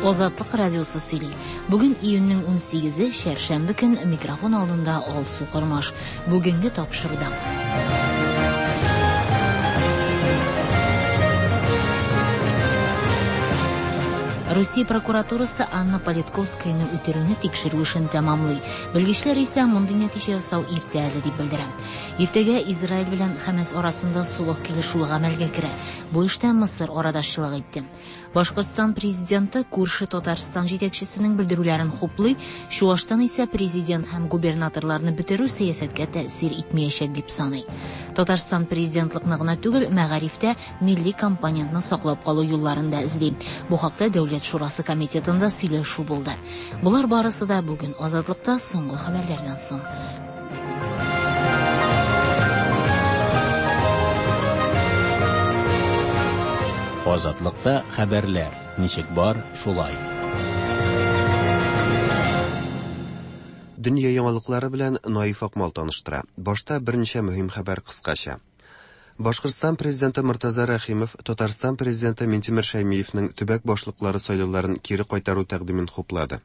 Азатлык радиосы сөйли. Бүген июньнең 18-е, чәршәмбе көн, микрофон алдында Алсу Кормаш. Бүгенге тапшыруда. Русия прокуратурасы Анна Политковскаяны үтерүне тикшерү эшен тәмамлый. Белгечләр исә мондый нәтиҗә ясау иртә әле дип белдерә. Иртәгә Израиль белән Хәмәс арасында солых килешүе гамәлгә керә. Бу эштә Мысыр арадашчылык итте. Башкортстан президенты күрше Татарстан җитәкчесенең белдерүләрен хуплый, Чуашстан исә президент һәм губернаторларны бетерү сәясәткә тәэсир итмәячәк дип саный. Татарстан президентлыкны гына түгел, мәгарифтә милли компонентны саклап калу юлларын да эзли. Бу хакта Дәүләт шурасы комитетында сөйләшү булды. Болар барысы да бүген Азатлыкта соңгы хәбәрләрдән соң. Азатлыкта хәбәрләр ничек бар, шулай. Дөнья яңалыклары белән Наиф Акмал таныштыра. Башта берничә мөһим хәбәр кыскача. Башкортстан президенты Мортаза Рәхимов Татарстан президенты Минтимер Шәймиевнең төбәк башлыклары сайлауларын кире кайтару тәкъдимен хуплады.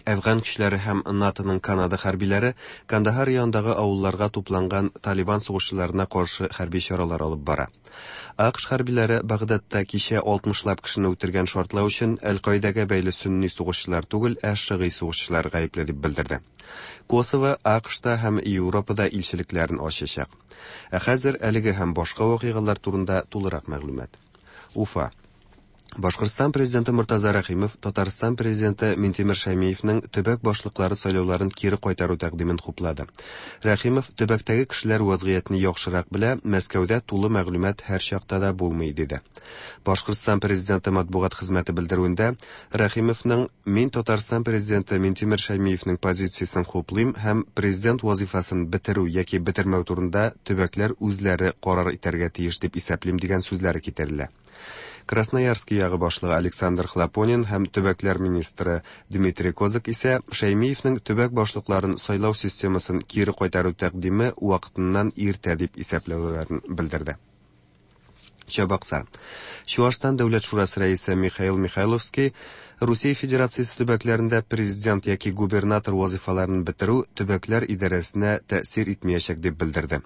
Әфган көчләре һәм НАТОның Канада хәрбиләре Кандахар янындагы авылларга тупланган Талибан сугышчыларына каршы хәрби чаралар алып бара. АКШ хәрбиләре Багдадта кичә 60лап кешене үтергән шартлау өчен Әл-Каидәгә бәйле сөнни сугышчылар түгел, ә шыгый сугышчылар гаепле дип белдерде. Косово АКШта һәм Европада илчелекләрен ачачак. Ә хәзер әлеге һәм башка вакыйгалар турында тулырак мәгълүмат. Уфа. Башкортстан президенты Мортаза Рәхимов Татарстан президенты Минтимер Шәймиевнең төбәк башлыклары сайлауларын кире кайтару тәкъдимен хуплады. Рәхимов төбәктәге кешеләр вазгыятьне яхшырак белә, Мәскәүдә тулы мәгълүмат һәр чакта да булмый, диде. Башкортстан президенты матбугат хезмәте белдерүендә Рәхимовның Мин Татарстан президенты Минтимер Шәймиевнең позициясен хуплыйм һәм президент вазифасын бетерү яки бетермәү турында төбәкләр үзләре карар итәргә тиеш дип исәплим дигән сүзләре китерелә. Красноярский ягы башлыгы Александр Хлопонин һәм төбәкләр министры Дмитрий Козак исә Шәймиевнең төбәк башлыкларын сайлау системасын кире кайтару тәкъдиме вакытыннан иртә дип исәпләүләрен белдерде. Чабаксар. Чуашстан Дәүләт шурасы рәисе Михаил Михайловский Русия Федерациясе төбәкләрендә президент яки губернатор вазифаларын бетерү төбәкләр идарәсенә тәэсир итмәячәк дип белдерде.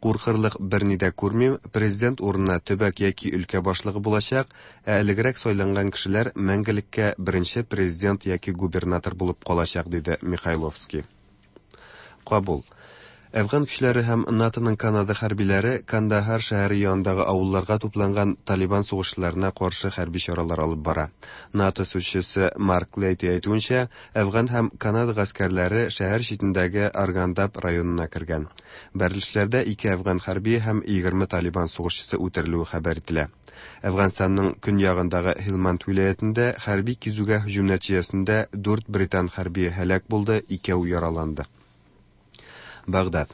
Куркырлык берни дә күрмим, президент урынына төбәк яки өлкә башлыгы булачак, ә элегрәк сайланган кешеләр мәңгелеккә беренче президент яки губернатор булып калачак, диде Михайловский. Кабул. Әфган көчләре һәм НАТОның Канада хәрбиләре Кандахар шәһәре янындагы авылларга тупланган Талибан сугышчыларына каршы хәрби чаралар алып бара. НАТО сүзчесе Марк Лейти әйтүенчә, Әфган һәм Канада гаскәрләре шәһәр читендәге Аргандаб районына кергән. Бәрелешләрдә ике әфган хәрбие һәм 20 Талибан сугышчысы үтерелүе хәбәр ителә. Әфганстанның көньягындагы Һилманд вилаятендә хәрби кизүгә һөҗүм нәтиҗәсендә дүрт британ хәрбие һәлак булды, икәү яраланды. Багдад.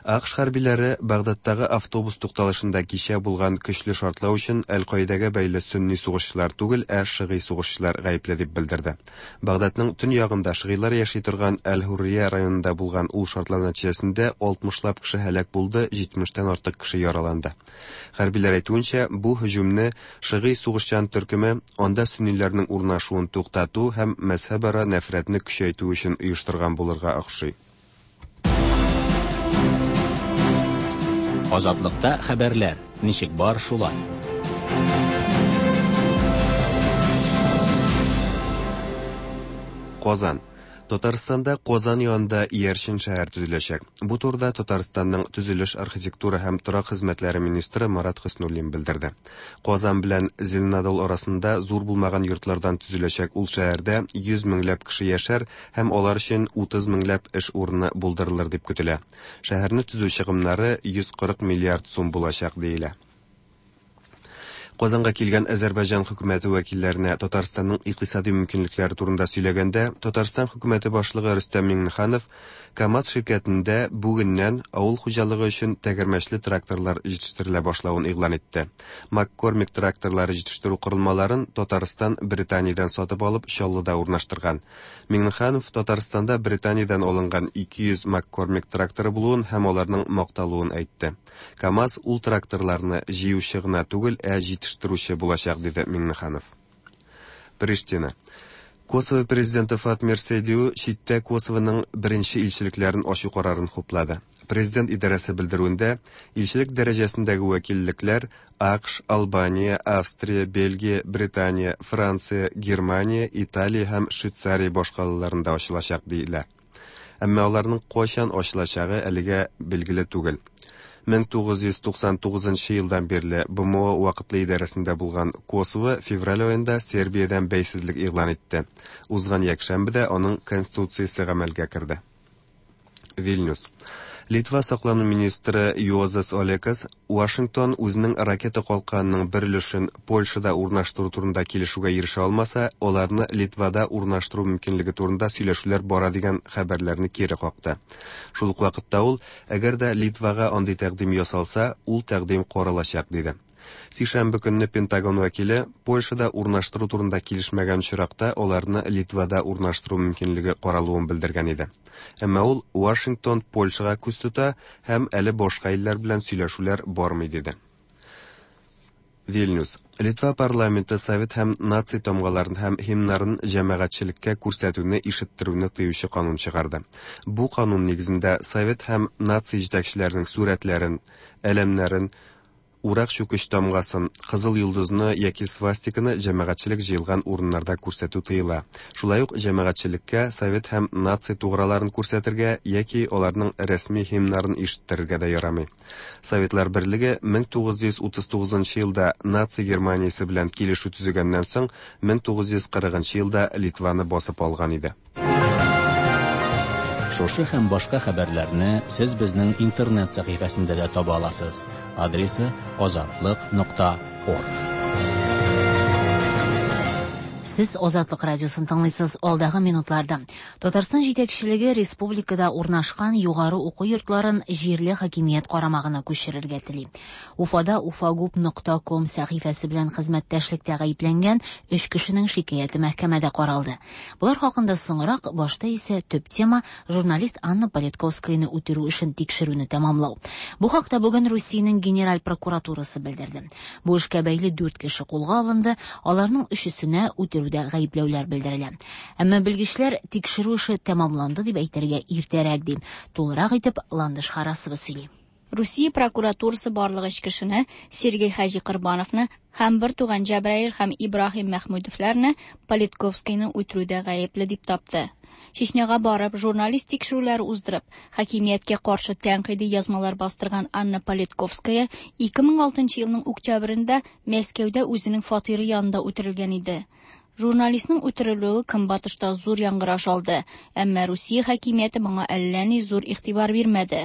АКШ хәрбиләре Багдадтагы автобус тукталышында кичә булган көчле шартлау өчен Әл-Каидәгә бәйле сөнни сугышчылар түгел, ә шыгый сугышчылар гаепле дип белдерде. Багдадның төньягында шыгыйлар яши торган Әл-Һуррия районында булган ул шартлау нәтиҗәсендә 60лап кеше һәлак булды, 70тән артык кеше яраланды. Хәрбиләр әйтүенчә, бу һөҗүмне шыгый сугышчан төркеме анда сөнниләрнең урнашуын туктату һәм мәзһәбара нәфрәтне көчәйтү өчен оештырган булырга охшый. Азатлыкта хәбәрләр ничек бар, шулай. Казан. Татарстанда Казан янында иярчен шәһәр төзеләчәк. Бу турыда Татарстанның төзелеш, архитектура һәм торак хезмәтләре министры Марат Хөснуллин белдерде. Казан белән Зеленодол арасында зур булмаган йортлардан төзеләчәк ул шәһәрдә 100 меңләп кеше яшәр һәм алар өчен 30 меңләп эш урыны булдырылыр дип көтелә. Шәһәрне төзү чыгымнары 140 миллиард сум булачак диелә. Казанга килгән Азәрбайҗан хөкүмәте вәкилләренә Татарстанның икътисади мөмкинлекләре турында сөйләгәндә, Татарстан хөкүмәте башлыгы Рөстәм Миңнеханов КАМАЗ ширкәтендә бүгеннән авыл хуҗалыгы өчен тәгәрмәчле тракторлар җитештерелә башлавын игълан итте. МакКормик тракторлары җитештерү корылмаларын Татарстан Британиядән сатып алып Чаллыда урнаштырган. Миңнеханов Татарстанда Британиядән алынган 200 МакКормик тракторы булуын һәм аларның макталуын әйтте. КАМАЗ ул тракторларны җыючы гына түгел, ә җитештерүче булачак, диде Миңнеханов. Приштина. Косово президенты Фатмир Сейдиу читтә Косовоның беренче илчелекләрен ачу карарын хуплады. Президент идарәсе белдерүендә, илчелек дәрәҗәсендәге вәкиллекләр АКШ, Албания, Австрия, Бельгия, Британия, Франция, Германия, Италия һәм Швейцария башкалаларында ачылачак диелә. Әмма аларның кайчан ачылачагы әлегә билгеле түгел. 1999 елдан бирле БМО вакытлы идарәсендә булган Косово февраль аенда Сербиядән бәйсезлек игълан итте. Узган якшәмбедә аның конституциясе гамәлгә керде. Вильнюс. Литва саклану министры Юозас Олекас Вашингтон үзенең ракета калканының бер өлешен Польшада урнаштыру турында килешүгә ирешә алмаса, аларны Литвада урнаштыру мөмкинлеге турында сөйләшүләр бара дигән хәбәрләрне кире какты. Шул ук вакытта ул, әгәр дә Литвага андый тәкъдим ясалса, ул тәкъдим каралачак, диде. Сишәмбе көнне Пентагон вәкиле Польшада урнаштыру турында килешмәгән очракта аларны Литвада урнаштыру мөмкинлеге каралуын белдергән иде. Әмма ул Вашингтон Польшага күз тота һәм әле башка илләр белән сөйләшүләр бармый диде. Вильнюс. Литва парламенты совет һәм наци тамгаларын һәм һимнарын җәмәгатьчелеккә күрсәтүне ишеттерүне тыючы канун чыгарды. Бу канун нигезендә совет һәм наци җитәкчеләренең сурәтләрен, әләмнәрен, Урак-чүкеч тамгасын, кызыл йолдызны яки свастиканы җәмәгатьчелек җыелган урыннарда күрсәтү тыела. Шулай ук җәмәгатьчелеккә совет һәм наци туграларын күрсәтергә яки аларның рәсми һимнарын ишеттерергә дә ярамый. Советлар Берлеге 1939 елда наци Германиясе белән килешү төзегәннән соң 1940 елда Литваны басып алган иде. Шушы һәм башка хәбәрләрне сез безнең интернет сәхифәсендә дә таба аласыз. Адресы azatliq.org. Сез Азатлык радиосын тыңлыйсыз. Алдагы минутларда Татарстан җитәкчелеге республикада урнашкан югары уку йортларын җирле хакимият карамагына күчерергә тели. Уфада ufagup.com сәхифәсе белән хезмәттәшлектә гаепләнгән өч кешенең шикаяте мәхкәмәдә каралды. Болар хакында соңрак, башта исә төп тема журналист Анна Политковскаяны үтерү эшен тикшерүне тәмамлау. Бу хакта бүген Русиянең Генераль прокуратурасы белдерде. Бу эшкә бәйле 4 кеше кулга алынды, аларның өчесенә үтерүдә гаепләүләр белдерелә. Әмма белгечләр тикшерү эше тәмамланды дип әйтергә иртәрәк ди. Тулырак итеп Ландыш Харасова сөйли. Русия прокуратурасы барлык өч кешене Сергей Хаҗи Корбановны һәм бер туган Җәбраил һәм Ибраһим Мәхмүдовларны Политковскийны үтерүдә гаепле дип тапты. Чечняга барып, журналист тикшерүләре уздырып, хакимияткә каршы тәнкыйди язмалар бастырган Анна Политковская 2006 елның октябрендә Мәскәүдә үзенең фатиры янында үтерелгән иде. Журналистның үтерелүе Көнбатышта зур яңгыраш алды, әмма Русия хакимияте моңа әллә ни зур игътибар бирмәде.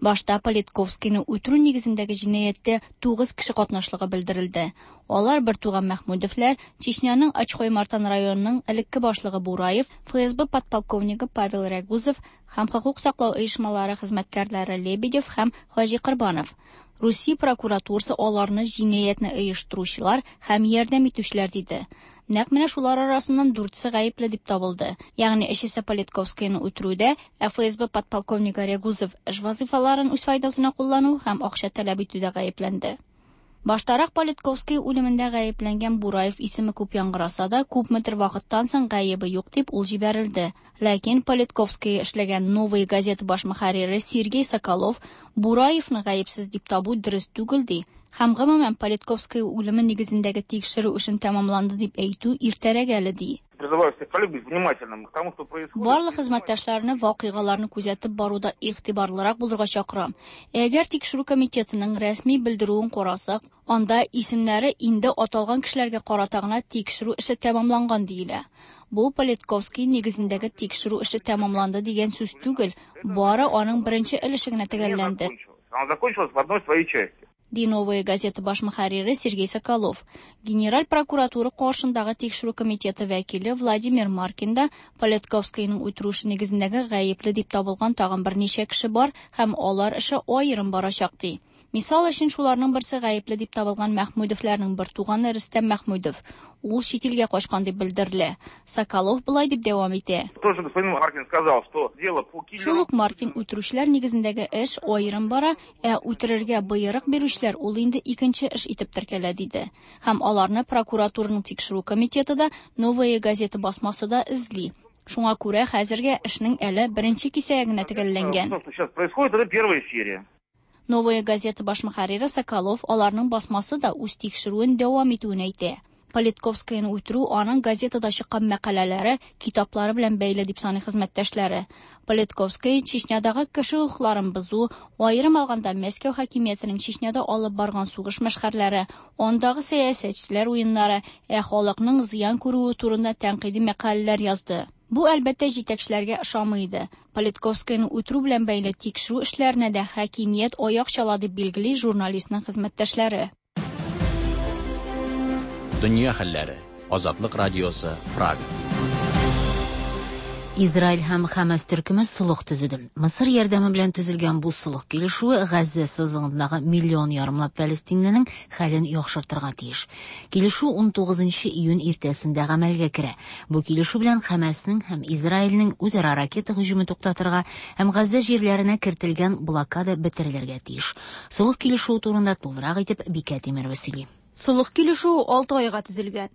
Башта Политковскийны үтерү нигезендәге җинаятьтә 9 кеше катнашлыгы белдерелде. Алар бер туган Мәхмүдовлар, Чечняның Ачхой-Мартан районының элекке башлыгы Бураев, ФСБ подполковнигы Павел Рягузов һәм хокук саклау оешмалары хезмәткәрләре Лебедев һәм Хаҗи Корбанов. Русия прокуратурасы аларны җинаятьне оештыручылар һәм ярдәм итүчеләр диде. Нәкъ менә шулар арасыннан дүртесе гаепле дип табылды. Ягъни өчесе Политковскийны үтерүдә, ә ФСБ подполковнигы Рягузов эш вазифаларын үз файдасына куллану һәм акча таләп итүдә гаепләнде. Баштарак Политковский үлемендә гаепләнгән Бураев исеме күп яңгыраса да, күпмедер вакыттан соң гаебе юк дип ул җибәрелде. Ләкин Политковский эшләгән Новая газета баш мөхәррире Сергей Соколов Бураевны гаепсез дип табу дөрес түгел ди. Һәм гомумән Политковский үлеме нигезендәге тикшерү эшен тәмамланды дип әйтү иртәрәк әле ди. Призываю всех коллег быть внимательным к тому, что происходит. Барлык хезмәттәшләрне вакыйгаларны күзәтеп баруда игътибарлырак булырга чакырам. Әгәр тикшерү комитетының рәсми белдерүен карасак, анда исемнәре инде аталган кешеләргә карата гына тикшерү эше тәмамланган диелә. Бу Политковский нигезендәге тикшерү эше тәмамланды дигән сүз түгел, бары аның беренче өлеше генә төгәлләнде. Она закончилась в одной своей части. Ди Новая газета баш мөхәррире Сергей Соколов. Генераль прокуратура каршындагы тикшерү комитеты вәкиле Владимир Маркин да Политковскийның үтерү эше нигезендәге гаепле дип табылган тагын берничә кеше бар һәм алар эше аерым барачак ди. Мисал өчен, шуларның берсе гаепле дип табылган Мәхмүдовларның бертуганы Рөстәм Мәхмүдов. Ул чит илгә качкан дип белдерелә. Соколов болай дип дәвам итә. Тоже господин Маркин сказал, что дело по киллеру... Шул ук Маркин үтерүчеләр нигезендәге эш аерым бара, ә үтерергә боерык бирүчеләр ул инде икенче эш итеп теркәлә, диде. Һәм аларны прокуратураның тикшерү комитеты да, Новая газета басмасы да эзли. Шуңа күрә хәзергә эшнең әле беренче кисәге генә төгәлләнгән. То, что сейчас происходит, это первая серия. Новая газета баш мөхәррире Соколов аларның басмасы да үз тикшерүен дәвам итүен әйтә. Политковскаяны үтерү аның газетада чыккан мәкаләләре, китаплары белән бәйле дип саный хезмәттәшләре. Политковская Чечнядагы кеше хокукларын бозу, аерым алганда Мәскәү хакимиятенең Чечняда алып барган сугыш мәшхәрләре, андагы сәясәтчеләр уеннары, ә халыкның зыян күрүе турында тәнкыйди мәкаләләр язды. Бу, әлбәттә, җитәкчеләргә ошамый иде. Политковскаяны үтерү белән бәйле тикшерү эшләренә дә хакимият аяк чала дип билгели журналистның хезмәттәшләре. Дөнья хәлләре. Азатлык радиосы, Прага. Израиль һәм Хәмәс төркеме солых төзеде. Мысыр ярдәме белән төзелгән бу солых килешүе Газзә сызыгындагы миллион ярымлап фәлестинленең хәлен яхшыртырга тиеш. Килешү 19 июнь иртәсендә гамәлгә керә. Бу килешү белән Хәмәснең һәм Израильнең үзара ракета һөҗүме туктатырга һәм Газзә җирләренә кертелгән блокада бетерелергә тиеш. Солых килешүе турында тулырак итеп Бикә Тимерова сөйли. Солых килешүе 6 айга төзелгән.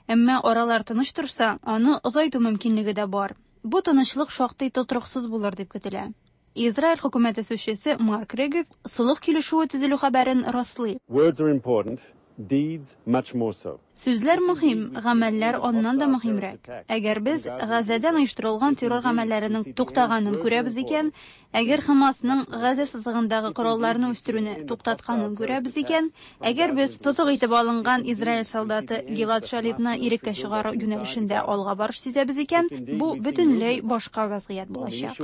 Әмма аралар тыныч торса, аны озайту мөмкинлеге дә бар. Бу тынычлык шактый тотрыксыз булыр дип көтелә. Израиль хөкүмәте сүзчесе Марк Регев солых килешүе төзелү хәбәрен раслый. Words are important, deeds much more so. Сүзләр мөһим, гамәлләр аннан да мөһимрәк. Әгәр без Газәдән оештырылган террор гамәлләренең туктаганын күрәбез икән, әгәр Хамасның Газә сызыгындагы коралларны үстерүне туктатканын күрәбез икән, әгәр без тотык итеп алынган Израиль солдаты Гилад Шалитны иреккә чыгару юнәлешендә алга барыш сизәбез икән, бу бөтенләй башка вазгыять булачак.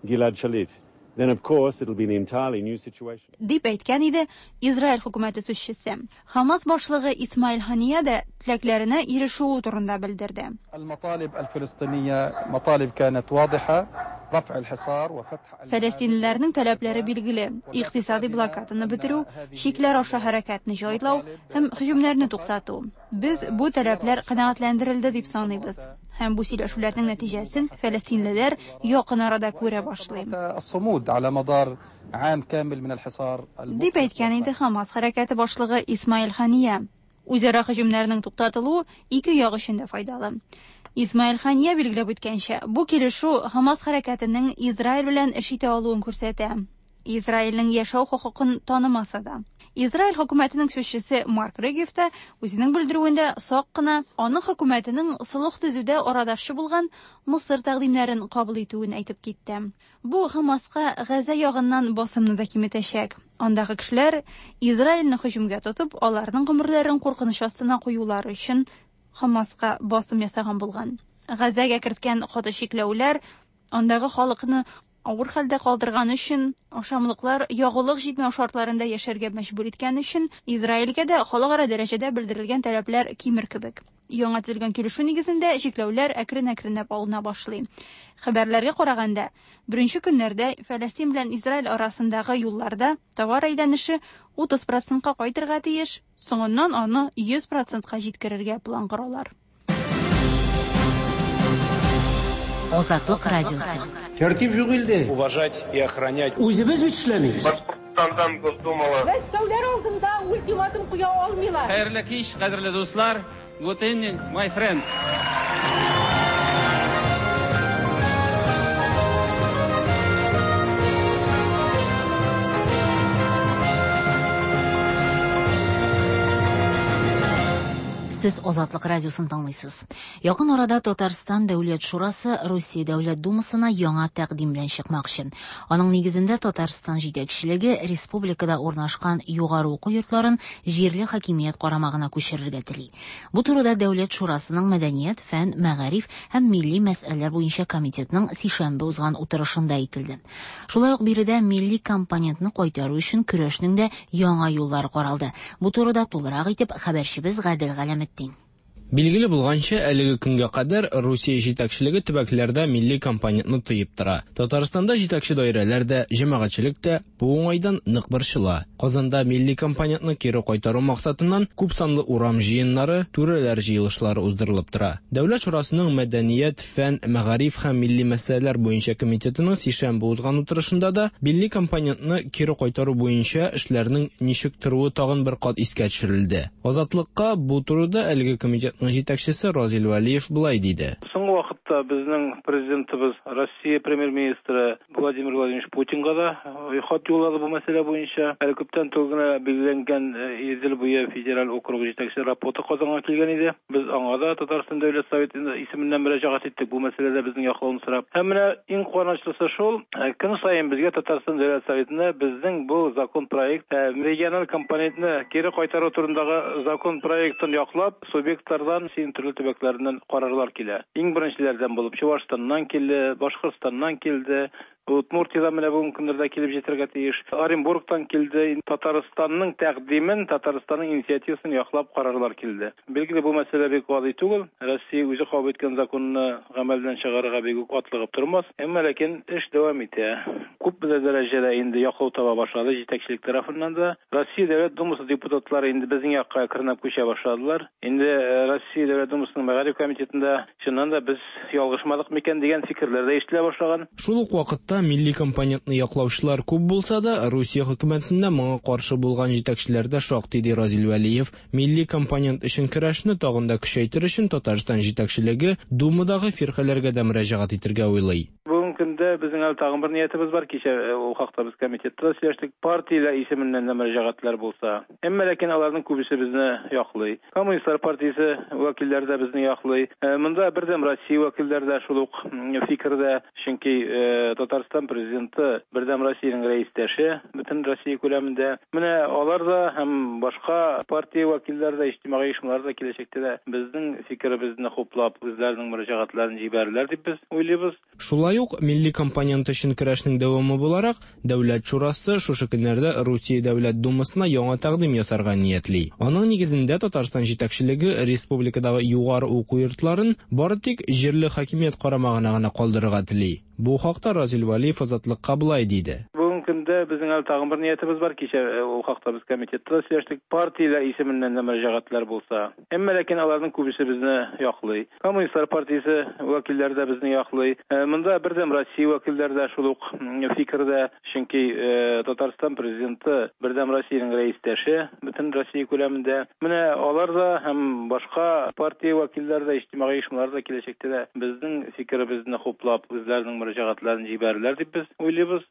Gilad Shalit, then of course it'll be an entirely new situation. Дип әйткән иде Израиль хөкүмәте сүзчесе. Хамас башлыгы Исмаил Хания дә теләкләренә ирешүе турында белдерде. المطالب الفلسطينية مطالب كانت واضحة رفع الحصار وفتح Фәләстинлеләрнең таләпләре билгеле: икътисади блокаданы бетерү, чикләр аша хәрәкәтне җайлау һәм һөҗүмнәрне туктату. Без бу таләпләр канәгатьләндерелде дип саныйбыз. Һәм бу сөйләшүләрнең нәтиҗәсен фәләстинлеләр якын арада күрә башлый. الصمود على مدار عام كامل من الحصار Дип әйткән иде Хамас хәрәкәте башлыгы Исмаил Хания. Үзара һөҗүмнәрнең туктатылуы ике як өчен дә файдалы. Исмаил Хания билгеләп үткәнчә, бу килешү Хамас хәрәкәтенең Израиль белән эш итә алуын күрсәтә. Израильнең яшәү хокукын танымаса да. Израиль хөкүмәтенең сүзчесе Марк Регев та үзенең белдерүендә сак кына аның хөкүмәтенең солых төзүдә арадашчы булган Мысыр тәкъдимнәрен кабул итүен әйтеп китте. Бу Хамаска Газа ягыннан басымны да киметәчәк. Андагы кешеләр Израильне һөҗүмгә тотып, аларның гомерләрен куркыныч астына куюлары өчен Хамаска басым ясаган булган. Газәгә керткән каты чикләүләр андагы халыкны авыр хәлдә калдырган өчен, ашамлыклар ягулык җитмәү шартларында яшәргә мәҗбүр иткән өчен Израильгә дә халыкара дәрәҗәдә белдерелгән таләпләр кимер кебек. Яңа төзелгән килешү нигезендә чикләүләр әкрен-әкренләп алына башлый. Хәбәрләргә караганда, беренче көннәрдә Фәләстин белән Израиль арасындагы юлларда товар әйләнеше 30%-ка кайтырга тиеш, соңыннан аны 100%-ка җиткерергә план коралар. Азатлык радиосы. Тәртип юк илдә. Уважать и охранять. Үзебез бит эшләмибез. Башкортстандан Госдумала. Мәскәүләр алдында ультиматум куя алмыйлар. Хәерле кич, кадерле дуслар. Good evening, my friends. Сез Азатлык радиосын тыңлыйсыз. Якын арада Татарстан Дәүләт Шурасы Русия Дәүләт Думасына яңа тәкъдим белән чыкмакчы. Аның нигезендә Татарстан җитәкчелеге республикада урнашкан югары уку йортларын җирле хакимият карамагына күчерергә тели. Бу турыда Дәүләт Шурасының мәдәният, фән, мәгариф һәм милли мәсьәләләр буенча комитетның сишәмбе узган утырышында әйтелде. Шулай ук биредә милли компонентны кайтару өчен көрәшнең дә яңа юллары каралды. Бу турыда тулырак итеп хәбәрчебез Гадел Галәметдин. Билгеле булганча, әлеге көнгә кадәр Русия җитәкчелеге төбәкләрдә милли компонентны тыеп тора. Татарстанда җитәкче даирәләр дә, җәмәгатьчелек тә бу уңайдан нык борчыла. Казанда милли компонентны кире кайтару максатыннан күпсанлы урам җыеннары, түрәләр җыелышлары уздырылып тора. Дәүләт шурасының мәдәният, фән, мәгариф һәм милли мәсьәләләр буенча комитетының сишәмбе узган утырышында да милли компонентны кире кайтару буенча эшләрнең ничек торуы тагын бер кат искә төшерелде. Азатлыкка бу турыда әлеге комитетның җитәкчесе Разил Вәлиев болай диде. Соңгы вакытта безнең президентыбыз Россия премьер-министры Владимир Владимирович Путинга да хат юллады бу мәсьәлә буенча. Әле күптән түгел генә билгеләнгән Идел буе федераль округы җитәкчесе Рапота Казанга килгән иде. Без аңа да Татарстан Дәүләт Советы исеменнән мөрәҗәгать иттек бу мәсьәләдә безнең яклауны сорап. Һәм менә иң куанычлысы шул, көн саен безгә Татарстан Дәүләт Советына безнең бу закон проект региональ компонентны кире кайтару турындагы закон проектын яклап, субъектлардан, Россиянең төрле төбәкләреннән карарлар килә. Иң беренчеләрдән булып Чувашстаннан килде, Башкортстаннан килде, Удмуртиядән менә бүгенге көннәрдә килеп җитәргә тиеш. Оренбургтан килде. Татарстанның тәкъдимен, Татарстанның инициативасын яклап карарлар килде. Билгеле, бу мәсьәлә бик гади түгел. Россия үзе кабул иткән законны гамәлдән чыгарырга бик үк атлыгып тормас. Әмма ләкин эш дәвам итә. Күпмедер дәрәҗәдә инде яклау таба башлады җитәкчелек тарафыннан да. Россия Дәүләт Думасы депутатлары инде безнең якка әкренләп күчә башладылар. Инде Россия Дәүләт Думасының мәгариф комитетында чыннан да без ялгышмадык микән дигән фикерләр дә ишетелә башлаган. Шул ук вакытта милли компонентны яклаучылар күп булса да, Русия хөкүмәтендә моңа каршы булган җитәкчеләр дә шактый, ди Разил Вәлиев. Милли компонент өчен көрәшне тагын да көчәйтер өчен Татарстан җитәкчелеге Думадагы фиркаләргә дә мөрәҗәгать итергә уйлый. Бүгенге көндә безнең әле тагын бер ниятебез бар. Кичә ул хакта без комитетта да сөйләштек. Партияләр исеменнән дә мөрәҗәгатьләр булса. Әмма ләкин аларның күбесе безне яклый. Коммунистлар партиясе вәкилләре дә безне яклый. Монда Бердәм Россия вәкилләре дә шул ук фикердә. Чөнки Татарстан президенты Бердәм Россиянең рәистәше бөтен Россия күләмендә. Менә алар да һәм башка партия вәкилләре дә, иҗтимагый оешмалар да киләчәктә дә безнең фикеребезне хуплап, үзләренең мөрәҗәгатьләрен җибәрерләр дип без уйлыйбыз. Шулай ук милли компонент өчен көрәшнең дәвамы буларак, Дәүләт шурасы шушы көннәрдә Русия Дәүләт Думасына яңа тәкъдим ясарга ниятли. Аның нигезендә Татарстан җитәкчелеге республикадагы югары уку йортларын бары тик җирле хакимият карамагына гына калдырырга тели. Бу хакта Разил Вәлиев Азатлыкка болай диде. Бүгенге көндә безнең әле тагын бер ниятебез бар. Кичә ул хакта без комитетта да сөйләштек. Партияләр исеменнән дә мөрәҗәгатьләр булса. Әмма ләкин аларның күбесе безне яклый. Коммунистлар партиясе вәкилләре дә безне яклый. Монда Бердәм Россия вәкилләре дә шул ук фикердә. Чөнки Татарстан президенты Бердәм Россиянең рәистәше бөтен Россия күләмендә. Менә алар да һәм башка партия вәкилләре дә, иҗтимагый оешмалар да киләчәктә дә безнең фикеребезне хуплап, үзләренең мөрәҗәгатьләрен җибәрерләр дип без уйлыйбыз.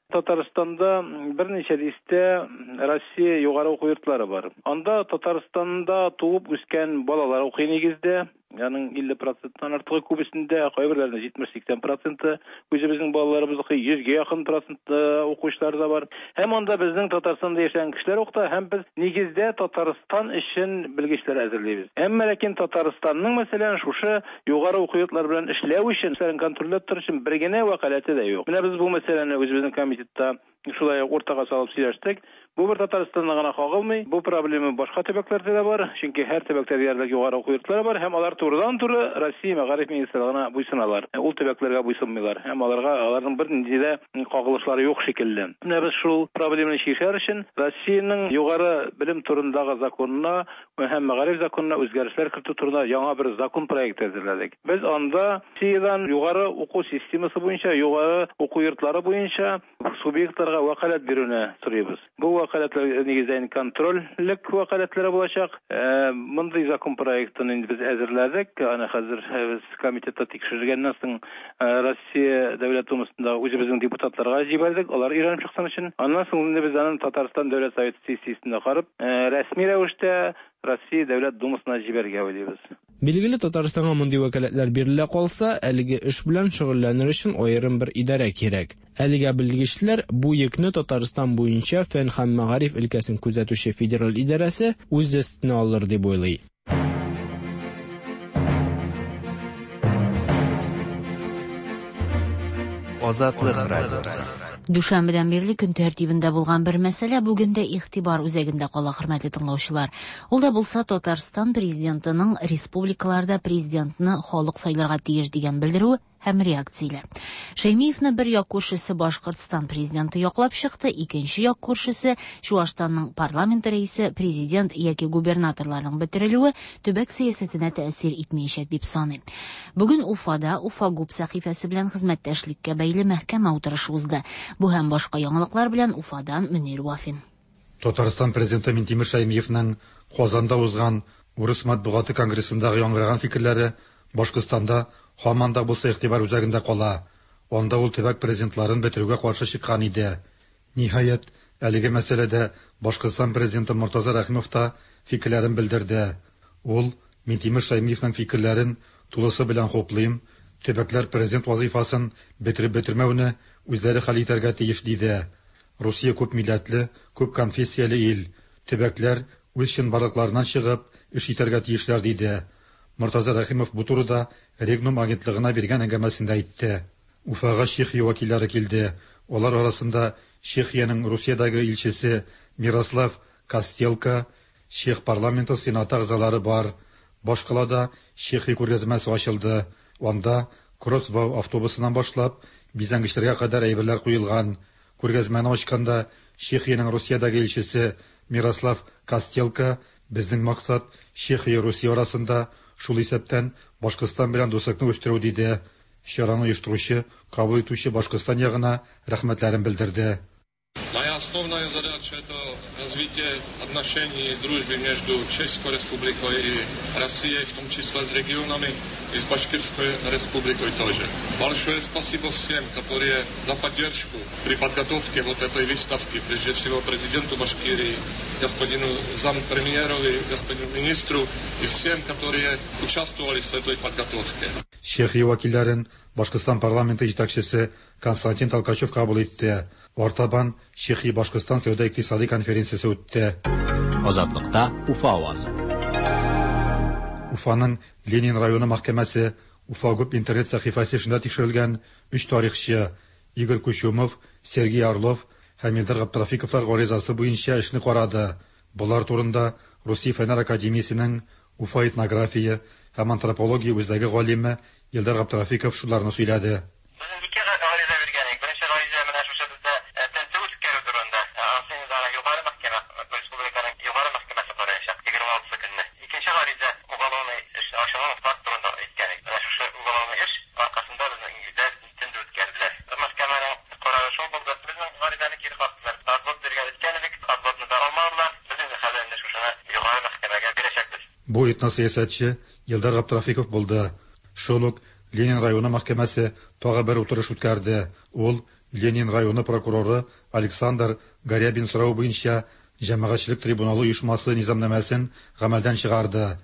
Татарстанда берничә дистә Россия югары уку йортлары бар. Анда Татарстанда туып үскән балалар укый нигездә. Аның 50 проценттан артыгы күбесендә, кайберләрендә 70-80 проценты үзебезнең балаларыбыз укый, 100гә якын процент укучылар да бар. Һәм анда безнең Татарстанда яшәгән кешеләр укыта, һәм без нигездә Татарстан өчен белгечләр әзерлибез. Әмма ләкин Татарстанның, мәсәлән, шушы югары уку йортлары белән эшләү өчен, эшләрен контрольләп тору өчен бер генә вәкаләте дә юк. Менә без бу мәсьәләне үзебезнең комитетта шулай ук уртага салып сөйләштек. Бу бер Татарстанда гына кагылмый, бу проблема башка төбәкләрдә дә бар, чөнки һәр төбәктә диярлек югары уку йортлары бар һәм алар турыдан-туры Россия мәгариф министрлыгына буйсыналар. Ул төбәкләргә буйсынмыйлар һәм аларга аларның бернинди дә кагылышлары юк шикелле. Менә без шул проблеманы чишәр өчен Россиянең югары белем турындагы законына һәм мәгариф законына үзгәрешләр кертү турында яңа бер закон проекты әзерләдек. Без анда Россиядән югары уку системасы буенча, югары уку йортлары буенча субъектларга вәкаләт бирүне сорыйбыз. Бу вәкаләтләр нигездә инде контрольлек вәкаләтләре булачак. Мондый закон проектын инде без әзерләдек. Аны хәзер без комитетта тикшергәннән соң Россия Дәүләт Думасында үзебезнең депутатларга җибәрдек, алар өйрәнеп чыксын өчен. Аннан соң инде без аны Татарстан Дәүләт Советы сессиясендә карап, рәсми рәвештә Россия Дәүләт Думасына җибәрергә уйлыйбыз. Билгеле, Татарстанга мондый вәкаләтләр бирелә калса, әлеге эш белән шөгыльләнер өчен аерым бер идарә кирәк. Әлегә белгечләр бу йөкне Татарстан буенча фән һәм мәгариф өлкәсен күзәтүче федераль идарәсе үз өстенә алыр дип уйлый. Азатлык радиосы. Дүшәмбедән бирле көн тәртибендә булган бер мәсьәлә бүген дә игътибар үзәгендә кала, хөрмәтле тыңлаучылар. Ул да булса Татарстан президентының республикаларда президентны халык сайларга тиеш дигән белдерүе һәм реакцияләр. Шәймиевны бер як күршесе Башкортстан президенты яклап чыкты, икенче як күршесе Чуашстанның парламент рәисе, президент яки губернаторларның бетерелүе төбәк сәясәтенә тәэсир итмәячәк дип саный. Бүген Уфада Уфа ГУП сәхифәсе белән хезмәттәшлеккә бәйле мәхкәмә утырышы узды. Бу һәм башка яңалыклар белән Уфадан Мөнир Вафин. Татарстан президенты Минтимер Шәймиевның Казанда узган Урыс матбугаты конгрессындагы яңгыраган фикерләре Башкортстанда һаман да булса игътибар үзәгендә кала. Анда ул төбәк президентларын бетерүгә каршы чыккан иде. Ниһаять, әлеге мәсьәләдә Башкортстан президенты Мортаза Рәхимов та фикерләрен белдерде. Ул Минтимер Шәймиевның фикерләрен тулысы белән хуплыйм, төбәкләр президент вазифасын бетереп бетермәүне үзләре хәл итәргә тиеш диде. Русия күп милләтле, күп конфессияле ил. Төбәкләр үз чынбарлыкларыннан чыгып эш итәргә тиешләр диде. Мортаза Рәхимов бу турыда Регнум агентлыгына биргән әңгәмәсендә әйтте. Уфага Чехия вәкилләре килде. Алар арасында Чехиянең Русиядәге илчесе Мирослав Костелка, Чех парламенты сенаты әгъзалары бар. Башкалада Чехия күргәзмәсе ачылды. Анда Кроссвау автобусыннан башлап бизәнгечләргә кадәр әйберләр куелган. Күргәзмәне ачканда Чехиянең Русиядәге илчесе Мирослав Костелка безнең максат Чехия Русия арасында шул исәптән Башкортстан белән дуслыкны үстерү диде. Чараны оештыручы, кабул итүче Башкортстан ягына рәхмәтләрен белдерде. Моя основная задача – это развитие отношений и дружбы между Чешской Республикой и Россией, в том числе с регионами и с Башкирской Республикой тоже. Большое спасибо всем, которые за поддержку при подготовке вот этой выставки, прежде всего президенту Башкирии, господину зампремьеру, господину министру и всем, которые участвовали в этой подготовке. Чехия вәкилләрен Башкортстан парламенты җитәкчесе Константин Толкачев кабул итте. Артабан Чехия Башкортстан сәүдә-икътисади конференциясе үтте. Азатлыкта Уфа авазы. Уфаның Ленин районы мәхкәмәсе Уфа ГУП интернет сәхифәсе эшендә тикшерелгән өч тарихчы Игорь Кучумов, Сергей Орлов һәм Илдар Габдрафиковлар гаризасы буенча эшне карады. Болар турында Русия Фәннәр академиясенең Уфа этнография һәм антропология үзәге галиме Илдар Габдрафиков шуларны сөйләде. Безнең ике гариза биргән идек. Беренче гариза менә шушы бездә тентү үткәрү турында. Анысы инде аны югары мәхкәмә, республиканың югары мәхкәмәсе караячак 26 көнне. Икенче гариза уголовный эш ачылган факт турында әйткән идек. Менә шушы уголовный эш аркасында безнең өйдә тентү үткәрделәр. Мәхкәмәнең карары шул булды. Безнең гаризаны кире кактылар. Отвод биргән әйткән идек, отводны да алмадылар. Без инде хәзер инде шушыны югары мәхкәмәгә бирәчәкбез. Бу этносәясәтче Илдар Габдрафиков булды. Шул ук Ленин районы мәхкәмәсе тагы бер утырыш үткәрде. Ул Ленин районы прокуроры Александр Горябин соравы буенча Җәмәгатьчелек трибуналы оешмасы низамнамәсен гамәлдән чыгарды.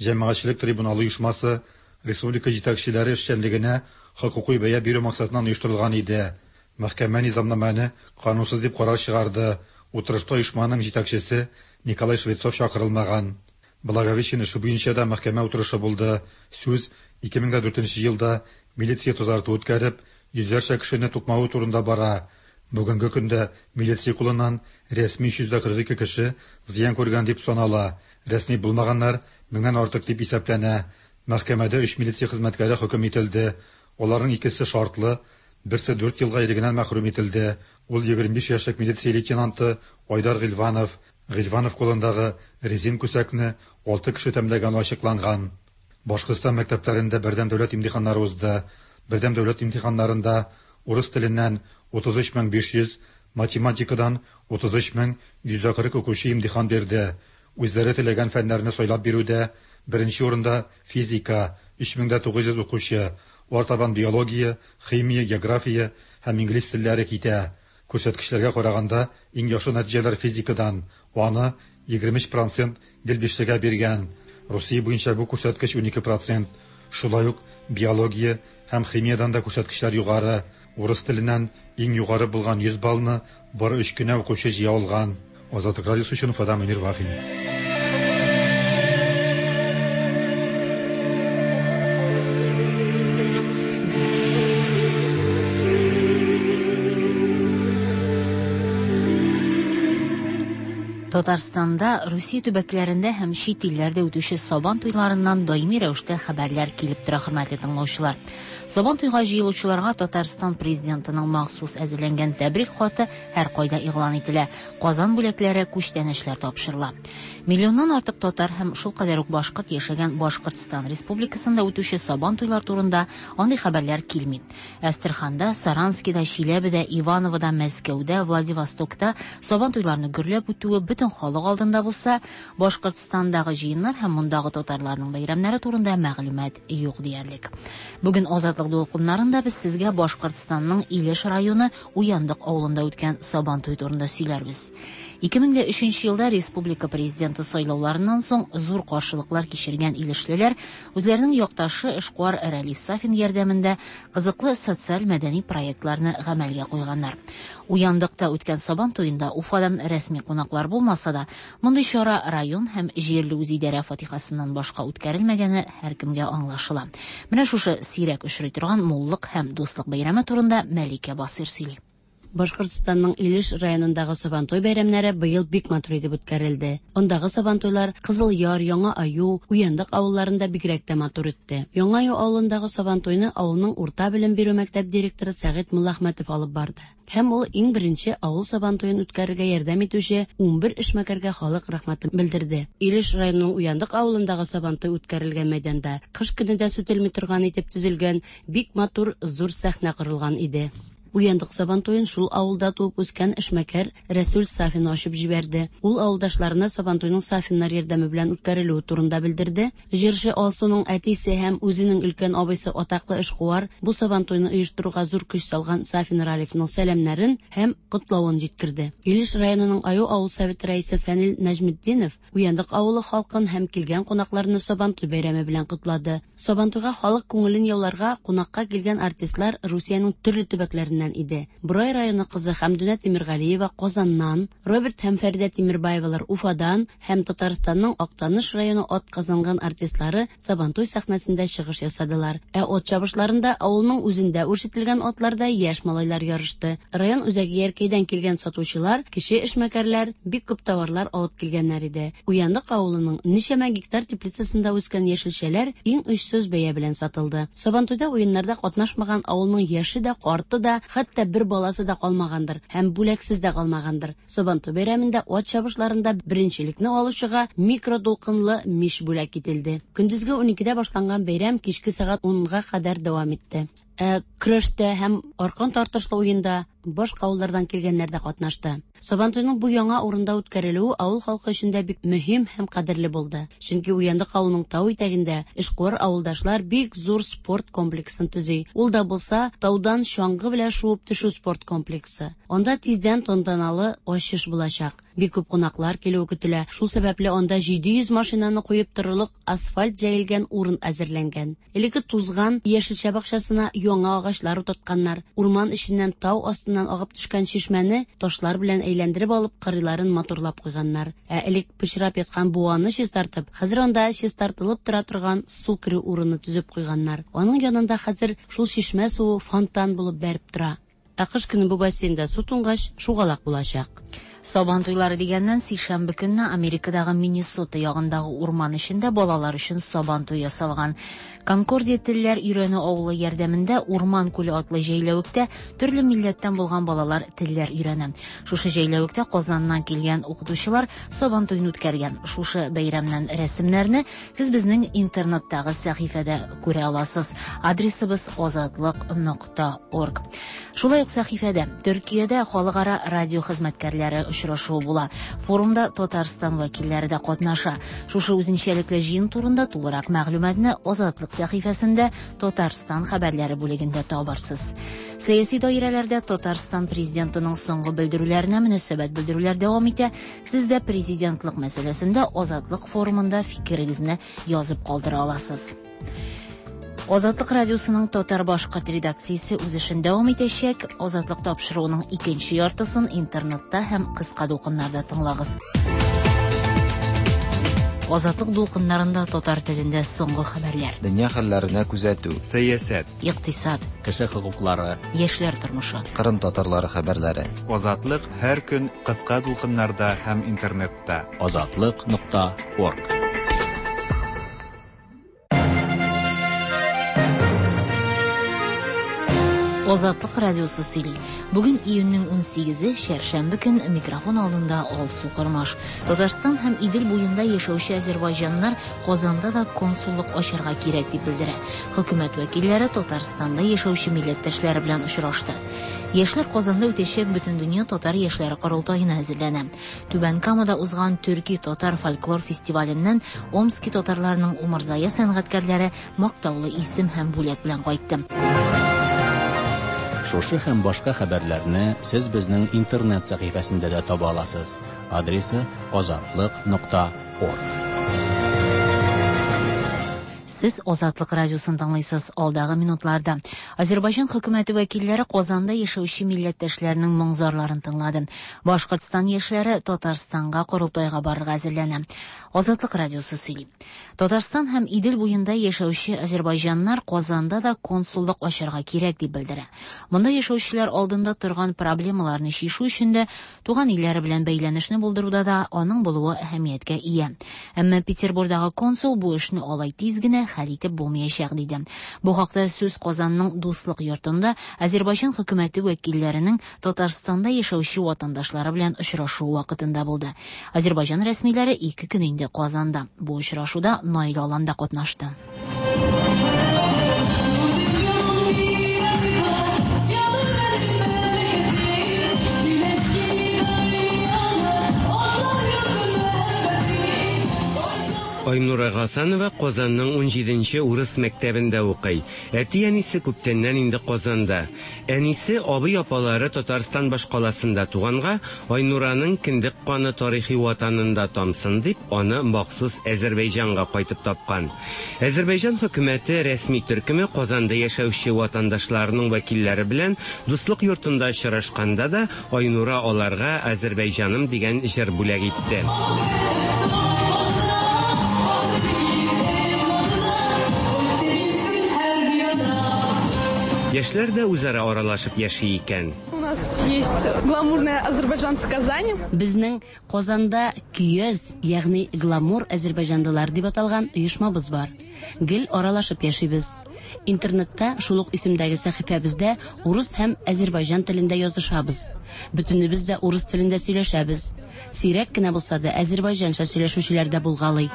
Җәмәгатьчелек трибуналы оешмасы республика җитәкчеләре эшчәнлегенә хокукый бәя бирү максатыннан оештырылган иде. Мәхкәмә низамнамәне канунсыз дип карар чыгарды. Утырышта оешманың җитәкчесе Николай Швецов чакырылмаган. Благовещен эше буенча да мәхкәмә утырышы булды. Сүз 2004 елда милиция тазарту үткәреп, йөзләрчә кешене тукмавы турында бара. Бүгенге көндә милиция кулыннан рәсми 342 кеше зыян күргән дип санала. Рәсми булмаганнар меңнән артык дип исәпләнә. Мәхкәмәдә 3 милиция хезмәткәре хөкем ителде. Аларның икесе шартлы, берсе 4 елга ирегеннән мәхрүм ителде. Ул 25 яшьлек милиция лейтенанты Айдар Гыйльванов. Гыйльванов кулындагы резин күсәкне 6 кеше тәмләгәне ачыкланган. Башкортстан мәктәпләрендә бердәм дәүләт имтиханнары узды. Бердәм дәүләт имтиханнарында урыс теленнән 33500, математикадан 33140 укучы имтихан бирде. Үзләре теләгән фәннәрне сайлап бирүдә беренче урында физика 3900 укучы, артабан биология, химия, география һәм инглиз телләре китә. Күрсәткечләргә караганда иң яхшы нәтиҗәләр физикадан, аны 23% гел бишлегә биргән. Русия буенча бу күрсәткеч 12%. Шулай ук биология һәм химиядан да күрсәткечләр югары. Урыс теленнән иң югары булган 100 баллны бары 3 кенә укучы җыя алган. Азатлык радиосы өчен Уфадан Мөнир Вафин. Татарстанда, Русия төбәкләрендә һәм чит илләрдә үтүче Сабан туйларыннан даими рәвештә хәбәрләр килеп тора, хөрмәтле тыңлаучылар. Сабан туйга җыелучыларга Татарстан Президентының махсус әзерләнгән тәбрик хаты һәркайда игълан ителә, Казан бүләкләре, күчтәнәчләр тапшырыла. Миллионнан артык татар һәм шулкадәр үк башкорт яшәгән Башкортстан Республикасында үтүче Сабан туйлар турында андый хәбәрләр килми. Әстерханда, Саранскида, Чиләбедә, Ивановода, Мәскәүдә, Владивостокта Сабан туйларны гөрләп үтүе бөтен халык алдында булса, Башкортстандагы җыеннар һәм мондагы татарларның бәйрәмнәре турында мәгълүмат юк диярлек. Бүген Азатлык дулкыннарында без сезгә Башкортстанның Илеш районы Уяндык авылында үткән Сабан туе турында сөйләрбез. 2003 елда республика президенты сайлауларыннан соң зур каршылыклар кичергән илешлеләр үзләренең якташы эшкуар Рәлиф Сафин ярдәмендә кызыклы социаль-мәдәни проектларны гамәлгә куйганнар. Уяндыкта үткән Сабан туенда Уфадан рәсми кунаклар булмаса да, мондый чара район һәм җирле үзидарә фатихасыннан башка үткәрелмәгәне һәркемгә аңлашыла. Менә шушы сирәк очрый торган муллык һәм дуслык бәйрәме турында Мәликә Басыйр сөйли. Башкортстанның Илеш районындагы Сабантуй бәйрәмнәре быел бик матур итеп үткәрелде. Андагы Сабантуйлар Кызыл Яр, Яңа Аю, Уяндык авылларында бигрәк тә матур үтте. Яңа Аю авылындагы Сабантуйны авылның урта белем бирү мәктәп директоры Сәгыйть Муллахмәтов алып барды. Һәм ул иң беренче авыл Сабантуен үткәрергә ярдәм итүче 11 эшмәкәргә халык рәхмәтен белдерде. Илеш районының Уяндык авылындагы Сабантуй үткәрелгән мәйданда кыш көне дә сүтелми торган итеп төзелгән бик матур зур сәхнә корылган иде. Уяндык Сабантуен шул авылда туып үскән эшмәкәр Рәсүл Сафин ачып җибәрде. Ул авылдашларына Сабантуйның Сафиннар ярдәме белән үткәрелүе турында белдерде. Җырчы Алсуның әтисе һәм үзенең өлкән абыйсы атаклы эшкуар бу Сабантуйны оештыруга зур көч салган Сафин Ралифның сәламнәрен һәм котлавын җиткерде. Илеш районының Аю авыл советы рәисе Фәнил Нәҗметдинов Уяндык авылы халкын һәм килгән кунакларны Сабантуй бәйрәме белән котлады. Сабантуйга халык күңелен яуларга кунакка килгән артистлар Русиянең төрле төбәкләреннән иде. Борай районы кызы Хәмдүнә Тимергалиева Казаннан, Роберт һәм Фәридә Тимербаевалар Уфадан һәм Татарстанның Актаныш районы атказанган артистлары Сабантуй сәхнәсендә чыгыш ясадылар. Ә ат чабышларында авылның үзендә үрчетелгән атларда яшь малайлар ярышты. Район үзәге Яркәйдән килгән сатучылар, кече эшмәкәрләр бик күп товарлар алып килгәннәр иде. Уяндык авылының ничәмә гектар теплицасында үскән яшелчәләр иң очсыз бәя белән сатылды. Сабантуйда уеннарда катнашмаган авылның яше дә, карты да, хәтта бер баласы да калмагандыр һәм бүләксез дә калмагандыр. Сабантуй бәйрәмендә ат чабышларында беренчелекне алучыга микродулкынлы мич бүләк ителде. Көндезге уникедә башланган бәйрәм кичке сәгать унга кадәр дәвам итте. Ә көрәштә һәм аркан тартышлы уенда башка авыллардан килгәннәр дә катнашты. Сабантуйның бу яңа урында үткәрелүе авыл халкы өчен дә бик мөһим һәм кадерле булды. Чөнки Уяндык авылының тау итәгендә эшкуар авылдашлар бик зур спорт комплексын төзи. Ул да булса, таудан чаңгы белән шуып төшү спорт комплексы. Анда тиздән тантаналы ачыш булачак. Бик күп кунаклар килүе көтелә. Шул сәбәпле анда 700 машинаны куеп торырлык асфальт җәелгән урын әзерләнгән. Элекке тузган яшелчә бакчасына яңа агачлар утыртканнар. Урман эченнән тау астыннан агып төшкән чишмәне ташлар белән әйләндереп алып, кырыйларын матурлап куйганнар. Ә элек пычрап яткан буаны чистартып, хәзер анда чистартылып тора торган су керү урыны төзеп куйганнар. Аның янында хәзер шул чишмә суы фонтан булып бәреп тора. Ә кыш көне бу бассейнда су туңгач, шугалак булачак. Сабан туйлары дигәннән, сишәмбе көнне Америкадагы Миннесота ягындагы урман эчендә балалар өчен сабан туе ясалган. Конкордия телләр өйрәнү авылы ярдәмендә Урман күле атлы җәйләвектә төрле милләттән булган балалар телләр өйрәнә. Шушы җәйләвектә Казаннан килгән укытучылар сабан туен үткәргән. Шушы бәйрәмнән рәсемнәрне сез безнең интернеттагы сәхифәдә күрә аласыз. Адресыбыз азатлык нокта орг. Шулай ук сәхифәдә Төркиядә халыкара радио хезмәткәрләре очрашуы була. Форумда Татарстан вәкилләре дә катнаша. Шушы үзенчәлекле җыен турында тулырак мәгълүматны Азатлык сәхифәсендә Татарстан хәбәрләре бүлегендә табарсыз. Сәяси даирәләрдә Татарстан президентының соңгы белдерүләренә мөнәсәбәт белдерүләр дәвам итә. Сез дә президентлык мәсьәләсендә Азатлык форумында фикерегезне язып калдыра аласыз. Азатлык радиосының татар-башкорт редакциясе үз эшен дәвам итәчәк. Азатлык тапшыруының икенче яртысын интернетта һәм кыска дулкыннарда тыңлагыз. Азатлык дулкыннарында татар телендә соңгы хәбәрләр. Дөнья хәлләренә күзәтү. Сәясәт. Икътисад. Кеше хокуклары. Яшьләр тормышы. Кырым татарлары хәбәрләре. Азатлык һәр көн кыска дулкыннарда һәм интернетта. Азатлык нокта орг. Азатлык радиосы сөйли. Бүген июньнең 18-е, чәршәмбе көн, микрофон алдында Алсу Кормаш. Татарстан һәм Идел буенда яшәүче азәрбайҗаннар Казанда да консуллык ачарга кирәк дип белдерә. Хөкүмәт вәкилләре Татарстанда яшәүче милләттәшләре белән очрашты. Яшьләр Казанда үтәчәк Бөтендөнья татар яшьләре корылтаена әзерләнә. Түбән Камада узган төрки татар фольклор фестиваленнән Омски татарларының умырзая сәнгатькәрләре мактаулы исем һәм бүләк белән кайтты. Шушы һәм башка хәбәрләрне сез безнең интернет сәхифәсендә дә таба аласыз. Адресы азатлык.орг. Сез Азатлык радиосын тыңлыйсыз. Алдагы минутларда Азербайҗан хөкүмәте вәкилләре Казанда яшәүче милләттәшләренең моң-зарларын тыңлады. Башкортстан яшьләре Татарстанга корылтайга барырга әзерләнә. Азатлык радиосы сөйли. Татарстан һәм Идел буенда яшәүче азербайҗаннар Казанда да консуллык ачарга кирәк дип белдерә. Монда яшәүчеләр алдында торган проблемаларны чишү өчен дә, туган илләре белән бәйләнешне булдыруда да аның булуы әһәмияткә ия. Әмма Петербурдагы консул бу эшне алай тиз генә хәл итеп булмаячак диде. Бу хакта сүз Казанның Дуслык йортында Азербайҗан хөкүмәте вәкилләренең Татарстанда яшәүче ватандашлары белән очрашуы вакытында булды. Азербайҗан рәсмиләре ике көн инде Казанда. Бу очрашуда Наил Алан да катнашты. Айнура Гасанова Казанның 17нче урыс мәктәбендә укый. Әти-әнисе күптәннән инде Казанда. Әнисе, абый-апалары Татарстан башкаласында туганга, Айнураның кендек каны тарихи ватанында тамсын дип, аны махсус Әзербәйҗанга кайтып тапкан. Әзербәйҗан хөкүмәте рәсми төркеме Казанда яшәүче ватандашларының вәкилләре белән Дуслык йортында очрашканда да Айнура аларга Әзербәйҗаным дигән җыр бүләк итте. Яшьләр дә үзара аралашып яши икән. У нас есть гламурные азербайджанцы Казани. Безнең Казанда Көяз, ягъни гламур азербайҗанлылар дип аталган оешмабыз бар. Гел аралашып яшибез. Интернетта шул ук исемдәге сәхифәбездә урыс һәм азербайҗан телендә язышабыз. Бөтенебез дә урыс телендә сөйләшәбез. Сирәк кенә булса да азербайҗанча сөйләшүчеләр дә булгалый.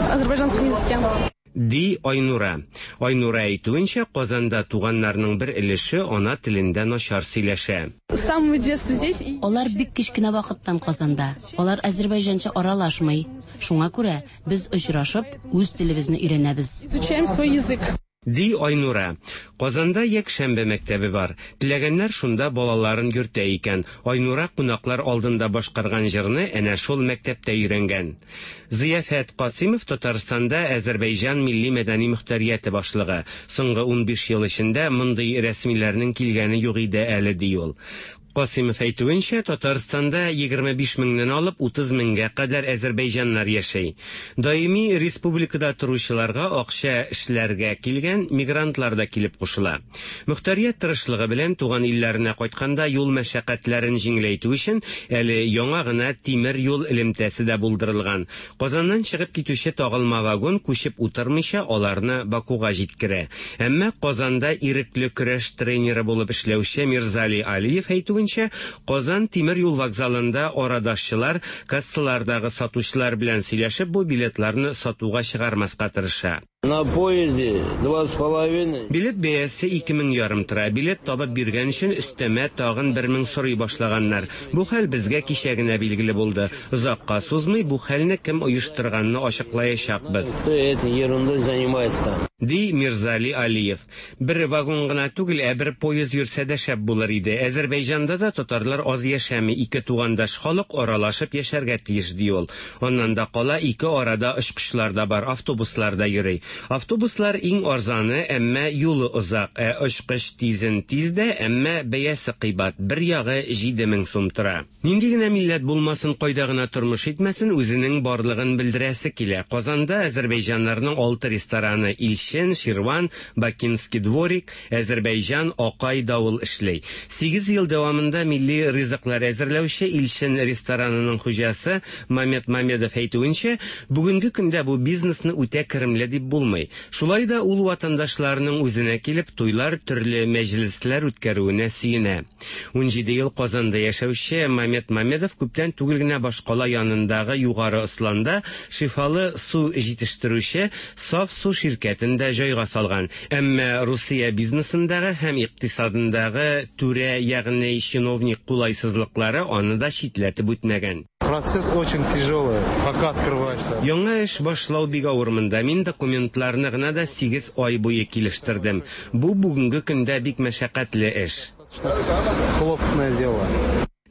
Азербайджанском языке. Ди Айнура. Айнура әйтүенчә, Казанда туганнарның бер өлеше ана телендә начар сөйләшә. С самого детства здесь. Алар бик кечкенә вакыттан Казанда. Алар азербайҗанча аралашмый. Шуңа күрә без очрашып, үз телебезне өйрәнәбез. Изучаем свой язык. Ди Айнура. Казанда якшәмбе мәктәбе бар. Теләгәннәр шунда балаларын йөртә икән. Айнура кунаклар алдында башкарган җырны әнә шул мәктәптә өйрәнгән. Зыяфәт Касимов Татарстанда Азербайҗан милли мәдәни мөхтәрияте башлыгы. Соңгы 15 ел эчендә мондый рәсмиләрнең килгәне юк иде әле, ди ул. Касимов әйтүенчә, Татарстанда 25 меңнән алып 30 меңгә кадәр азербайҗаннар яши. Даими республикада торучыларга акча эшләргә килгән мигрантлар да килеп кушыла. Мөхтәрият тырышлыгы белән туган илләренә кайтканда юл мәшәкатьләрен җиңеләйтү өчен әле яңа гына тимер юл элемтәсе дә булдырылган. Казаннан чыгып китүче тагылма вагон күчеп утырмыйча аларны Бакуга җиткерә. Әмма Казанда ирекле көрәш тренеры булып эшләүче Мирзали Алиев әйтүенчә, Казан тимер юл вокзалында арадашчылар кассалардагы сатучылар белән сөйләшеп бу билетларны сатуга чыгармаска тырыша. На поезде 2,5. Билет бәясе 2500 тора. Билет табып биргән өчен өстәмә тагын 1000 сорый башлаганнар. Бу хәл безгә кичә генә билгеле булды. Озакка сузмый бу хәлне кем оештырганны ачыклаячакбыз. Кто этой ерундой занимается там? Ди Мирзали Алиев. Бер вагон гына түгел, ә бер поезд йөрсә дә шәп булыр иде. Азербайҗанда да татарлар аз яшәми, ике тугандаш халык аралашып яшәргә тиеш, ди ул. Аннан да кала ике арада очкычлар да бар, автобуслар да йөри. Автобуслар иң арзаны, әмма юлы озак, ә очкыч тизен тиз дә, әмма бәясе кыйбат, бер ягы 7000 сум тора. Нинди генә милләт булмасын, кайда гына тормыш итмәсен, үзенең барлыгын белдерәсе килә. Казанда әзербәйҗаннарның алты рестораны Илчен, Ширван, Бакинский дворик, Әзербәйҗан, Акай, Давыл эшли. Сигез ел дәвамында милли ризыклар әзерләүче Илчен ресторанының хуҗасы Мамед Мамедов әйтүенчә, бүгенге көндә бу бизнесны үтә керемле дип булмый. Шулай да ул ватандашларының үзенә килеп, туйлар, төрле мәҗлесләр үткәрүенә сөенә. 17 ел Казанда яшәүче Мамед Мамедов күптән түгел генә башкала янындагы Югары Осланда шифалы су җитештерүче Саф су ширкәтен дә җайга салган. Әмма Русия бизнесындагы һәм икътисадындагы түрә, ягъни чиновник кулайсызлыклары аны да читләтеп үтмәгән. Процесс очень тяжелый, пока открываешься. Яңа эш башлау бик авыр монда. Мин документларны гына да сигез ай буе килештердем. Бу бүгенге көндә бик мәшәкатьле эш. Хлопотное дело.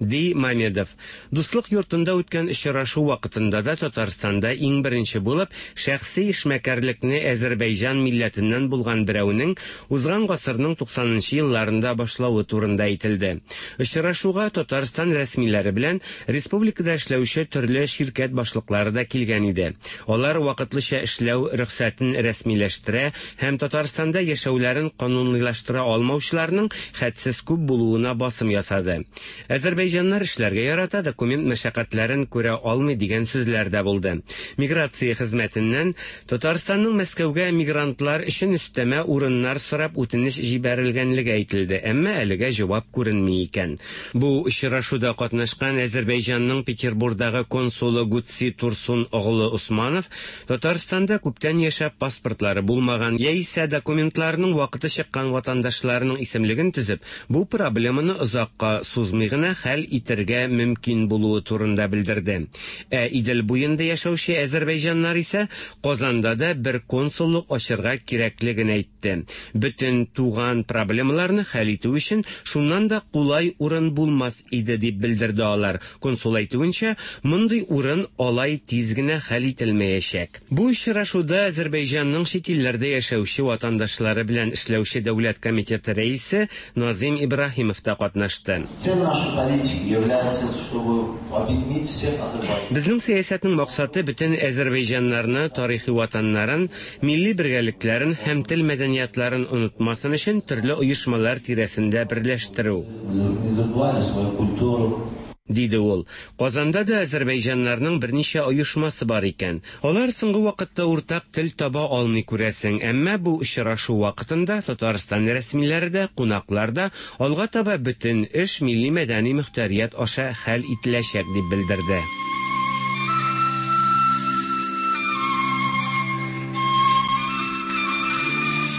Ди Мамедов. Дуслык йортында үткән очрашу вакытында да Татарстанда иң беренче булып шәхси эшмәкәрлекне әзербәйҗан милләтеннән булган берәүнең узган гасырның 90 нчы елларында башлавы турында әйтелде. Очрашуга Татарстан рәсмиләре белән республикада эшләүче төрле ширкәт башлыклары да килгән иде. Алар вакытлыча эшләү рөхсәтен рәсмиләштерә һәм Татарстанда яшәүләрен канунилаштыра алмаучыларның хәтсез күп булуына басым ясады. Әзербәйҗаннар эшләргә ярата, документ мәшәкатьләрен күрә алмый дигән сүзләр дә булды. Миграция хезмәтеннән Татарстанның Мәскәүгә мигрантлар өчен өстәмә урыннар сорап үтенеч җибәрелгәнлеге әйтелде, әмма әлегә җавап күренми икән. Бу очрашуда катнашкан Әзербәйҗанның Петербурдагы консулы Гутси Турсун оглы Усманов Татарстанда күптән яшәп паспортлары булмаган яисә документларының вакыты чыккан ватандашларының исемлеген төзеп, бу проблеманы озакка сузмый гына хәл итергә мөмкин булуы турында белдерде. Ә Идел буенда яшәүче әзербәйҗаннар исә Казанда да бер консуллык ачырга кирәклеген әйтте. Бөтен туган проблемаларны хәл итү өчен шуннан да кулай урын булмас иде, дип белдерде алар. Консул әйтүенчә, мондый урын алай тиз генә хәл ителмәячәк. Бу очрашуда Әзербәйҗанның чит илләрдә яшәүче ватандашлары белән эшләүче дәүләт комитеты рәисе Назыйм Ибраһимов та катнашты. Цель нашей политики является, чтобы объединить всех азербайджанцев. Безнең сәясәтнең максаты бөтен әзербәйҗаннарны тарихи ватаннарын, милли бергәлекләрен һәм тел-мәдәниятларын онытмасын өчен төрле оешмалар тирәсендә берләштерү. Не забывали свою культуру. Диде ул. Казанда да әзербәйҗаннарның берничә оешмасы бар икән. Алар соңгы вакытта уртак тел таба алмый күрәсең, әмма бу очрашу вакытында Татарстан рәсмиләре дә, кунаклар да алга таба бөтен эш милли-мәдәни мөхтәрият аша хәл ителәчәк дип белдерде.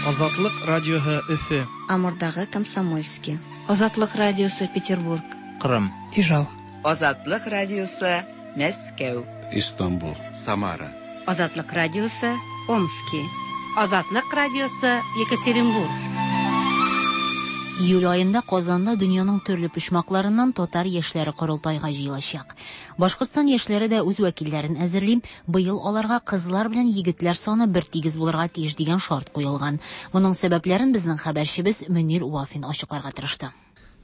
Азатлык радиоһы Өфе. Амурдагы Комсомольски. Азатлык радиосы Петербург. Кырым. Ижау. Азатлык радиосы Мәскәү. Истанбул. Самара. Азатлык радиосы Омски. Азатлык радиосы Екатеринбург. Июль аенда Казанда дөньяның төрле почмакларыннан татар яшьләре корылтайга җыелачак. Башкортстан яшьләре дә үз вәкилләрен әзерли. Быел аларга кызлар белән егетләр саны бертигез булырга тиеш дигән шарт куелган. Моның сәбәпләрен безнең хәбәрчебез Мөнир Вафин ачыкларга тырышты.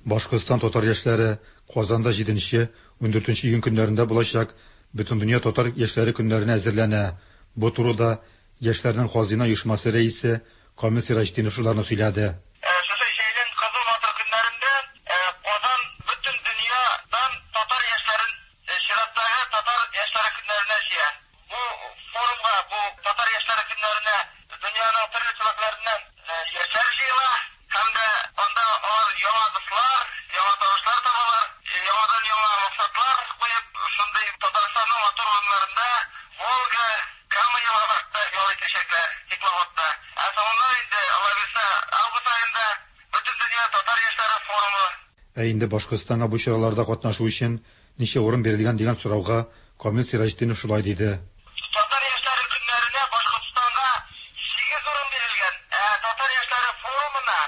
Башкортстан татар яшьләре Казанда җиденче, ундүртенче июнь көннәрендә булачак Бөтендөнья татар яшьләре көннәренә әзерләнә. Бу турыда яшьләрнең Хазина оешмасы рәисе Камил Сираҗетдинов шуларны сөйләде. Шушы җәйнең кызу матур көннәрендә Казан бөтен дөньядан татар яшьләрен чираттагы татар яшьләре көннәренә җыя. Бу форумга, бу татар яшьләре көннәренә дөньяның төрле төбәкләреннән яшьләр җыела һәм дә анда алар яңа дуслар, яңа танышлар табалар, яңадан-яңа максатлар куеп, шундый Татарстанның матур урыннарында, Волга, Кама елгаларында ял итәчәкләр, теплоходта. Ә соңыннан инде, Алла бирса, август аенда Бөтендөнья татар яшьләре форумы. Ә инде Башкортстанга бу чараларда катнашу өчен ничә урын бирелгән дигән сорауга Камил Сираҗетдинов шулай диде. Татар яшьләре көннәренә Башкортстанга сигез урын бирелгән, ә Татар яшьләре форумына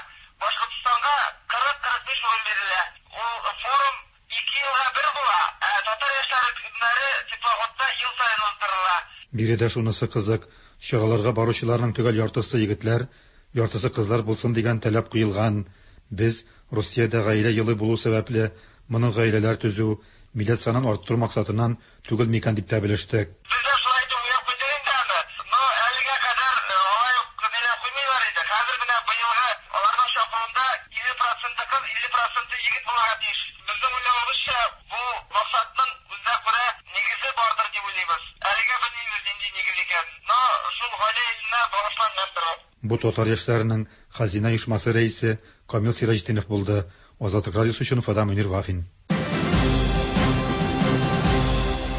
Башкортстанга 40-45 урын бирелә. Ул форум ике елга бер була, ә Татар яшьләре көннәре теплоходта ел саен уздырыла. Биредә шунысы кызык, Чараларга баручыларның төгәл яртысы егетләр, яртысы кызлар булсын дигән таләп куелган. Без Русиядә гаилә елы булу сәбәпле, моның гаиләләр төзү, милләт санын арттыру максатыннан түгел микән дип тә белештек. Бу татар яшьләренең Хазина оешмасы рәисе Камил Сираҗетдинов булды. Азатлык радиосы өчен Уфадан Мөнир Вафин.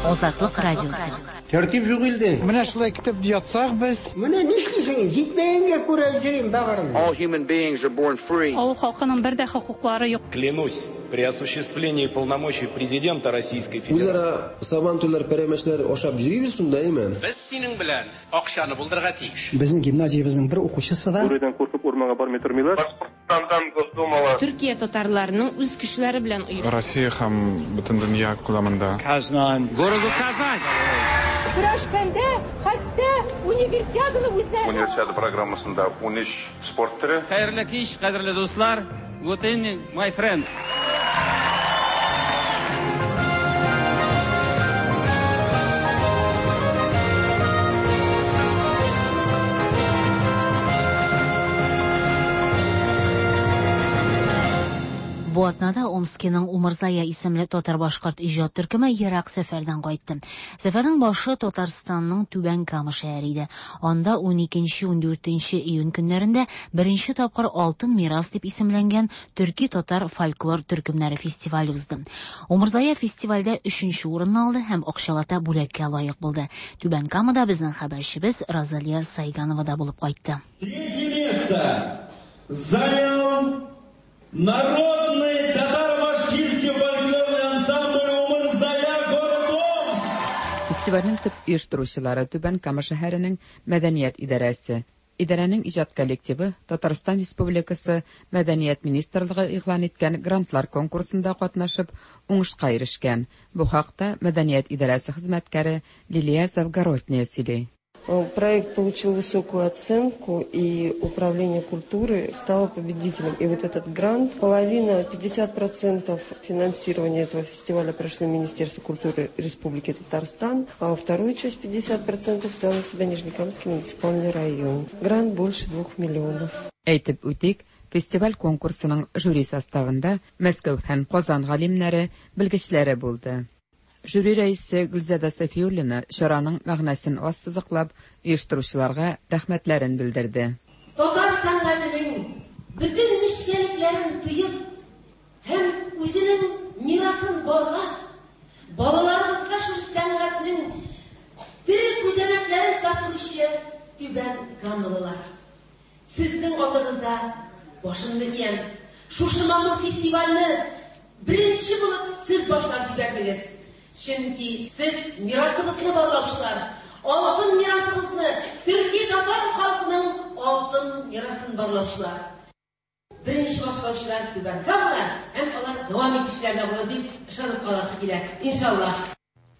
Азатлык радиосы. Тәртип юк илдә. Менә шулай көтеп ятсак без. Менә нишлисең, җитмәгәнгә күрә йөрим бәгырем. All human beings are born free. Авыл халкының бер дә хокуклары юк. Клянусь, при осуществлении полномочий президента Российской Федерации. Үзара сабантуйлар, пәрәмәчләр ашап йөрибез шунда, әйме? Без синең белән акчаны булдырырга тиеш. Безнең гимназиябезнең бер укучысы да. Бүредән куркып урманга бармый тормыйлар. Башкортстандан Госдумала. Төркия татарларының үз көчләре белән оешты. Россия һәм бөтен дөнья күләмендә. Казан. Городу Казань. Көрәшкәндә хәтта универсиаданы үзенә. Универсиада программасында 13 спорт төре. Хәерле кич, кадерле дуслар. Good evening, my friends. Бу атнада Омскиның Умырзая исемле татар-башкорт иҗат төркеме ерак сәфәрдән кайтты. Сәфәрнең башы Татарстанның Түбән Кама шәһәре иде. Анда 12-14 июнь көннәрендә беренче тапкыр Алтын мирас дип исемләнгән төрки-татар фольклор төркемнәре фестивале узды. Умырзая фестивальдә өченче урынны алды һәм акчалата бүләккә лаек булды. Түбән Камада безнең хәбәрчебез Розалия Сайганова да булып кайтты. Третье место занял Народный татар-башкирский фольклорный ансамбль «Умырзая», город Омск. Фестивальнең төп оештыручылары Түбән Кама шәһәренең мәдәният идарәсе. Идарәнең иҗат коллективы Татарстан Республикасы Мәдәният министрлыгы игълан иткән грантлар конкурсында катнашып, уңышка ирешкән. Бу хакта мәдәният идарәсе хезмәткәре Лилия Завгородняя сөйли. Проект получил высокую оценку, и Управление культуры стало победителем. И вот этот грант, половина, 50% финансирования этого фестиваля прошли Министерство культуры Республики Татарстан, а вторую часть, 50%, взял на себя Нижнекамский муниципальный район. Грант больше 2 миллионов. Әйтеп үтик, фестиваль конкурсының жюри составында Мәскәү һәм Казан галимнәре, белгечләре булды. Жюри рәисе Гөлзада Сафиуллина чараның мәгънәсен ассызыклап, оештыручыларга рәхмәтләрен белдерде. Татар сәнгатенең бөтен нечкәлекләрен тоеп һәм үзенең мирасын барлап, балаларыбызга шул сәнгатьнең тере күзәнәкләрен тапшыручы Түбән Камалылар. Сезнең алдыгызда башымны иям. Шушы матур фестивальне беренче булып сез башлап җибәрдегез. Чөнки сез мирасыбызны барлаучылар, алтын мирасыбызны, төрки татар халкының алтын мирасын барлаучылар. Беренче башлаучылар Түбән Камалар һәм алар дәвам итүчеләр дә булыр дип ышанып каласы килә. Иншалла.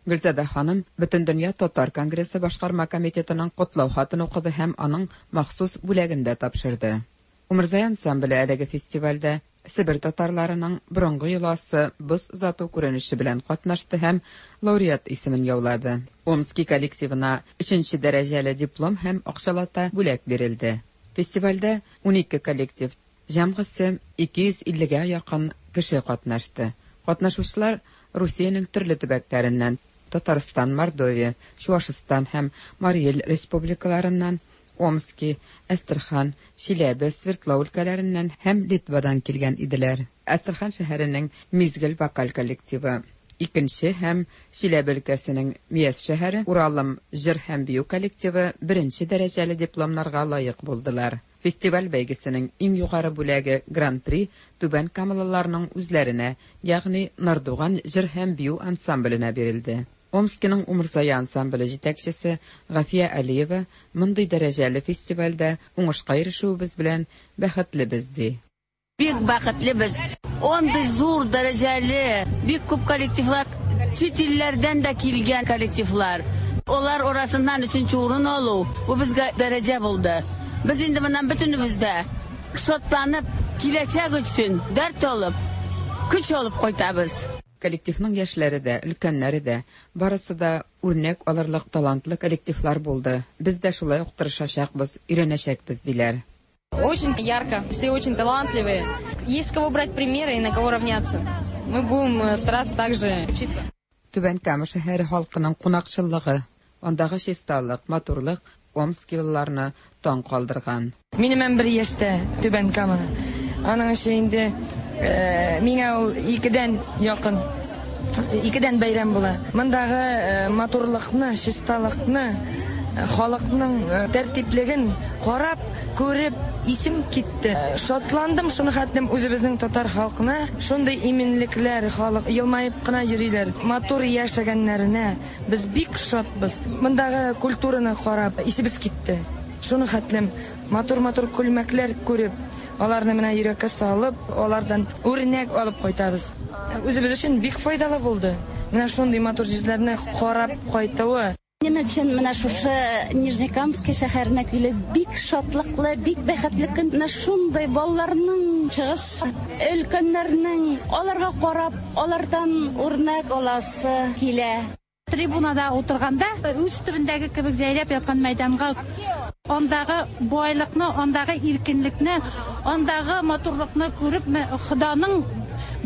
Гөлзада ханым Бөтендөнья татар конгрессы башкарма комитетының котлау хатын укыды һәм аның махсус бүләген дә тапшырды. Умырзая ансамбле әлеге фестивальдә Себер татарларының борынгы йоласы боз озату күренеше белән катнашты һәм лауреат исемен яулады. Омски коллективына өченче дәрәҗәле диплом һәм акчалата бүләк бирелде. Фестивальдә 12 коллектив, җәмгысе 250гә якын кеше катнашты. Катнашучылар Русиянең төрле төбәкләреннән, Татарстан, Мордовия, Чуашстан һәм Марий Эл республикаларыннан, Омски, Әстерхан, Чиләбе, Свердлау өлкәләреннән һәм Литвадан килгән иделәр. Әстерхан шәһәренең Мизгел вокаль коллективы икенче һәм Чиләбе өлкәсенең Мияс шәһәре Уралым җыр һәм бию коллективы беренче дәрәҗәле дипломнарга лаек булдылар. Фестиваль бәйгесенең иң югары бүләге Гран-при Түбән Камалыларның үзләренә, ягъни Нардуган җыр һәм бию ансамбленә бирелде. Омскиның Умырзая ансамбле җитәкчесе Гафия Алиева мондый дәрәҗәле фестивальдә уңышка ирешүебез белән бәхетлебез, ди. Бик бәхетлебез. Андый зур дәрәҗәле, бик күп коллективлар, чит илләрдән дә килгән коллективлар. Алар арасыннан өченче урын алу, бу безгә дәрәҗә булды. Без инде моннан бөтенебез дә шатланып, киләчәк өчен дәрт алып, көч алып кайтабыз. Коллективның яшьләре дә, өлкәннәре дә, барысы да үрнәк алырлык талантлы коллективлар булды. Без дә шулай ук тырышачакбыз, өйрәнәчәкбез, диләр. Очень ярко, все очень талантливые. Есть с кого брать примеры и на кого равняться. Мы будем стараться также учиться. Түбән Кама шәһәре халкының кунакчыллыгы, андагы чисталык, матурлык омскилыларны таң калдырган. Минем 11 яшьтә Түбән Кама. Аның өчен инде миңа ул икедән якын, икедән бәйрәм була. Мондагы матурлыкны, чисталыкны, халыкның тәртиплеген карап, күреп, исем китте. Шатландым шуны хәтлем үзебезнең татар халкына. Шундый иминлекләр, халык елмаеп кына йөриләр. Матур яшәгәннәренә без бик шатбыз. Мондагы культураны карап, исебез китте. Шуны хәтлем матур-матур күлмәкләр күреп, аларны менә йөрәккә салып, алардан үрнәк алып кайтабыз. Үзебез өчен бик файдалы булды. Менә шундый матур җирләрне карап кайтуы. Минем өчен менә шушы Нижнекамский шәһәренә килү бик шатлыклы, бик бәхетле көн. Менә шундый балаларның чыгыш, өлкәннәрнең аларга карап, алардан үрнәк аласы килә. Трибунада утырганда үз төбендәге кебек җәйрәп яткан мәйданга андагы байлыкны, андагы иркенлекне, андагы матурлыкны күреп, Ходаның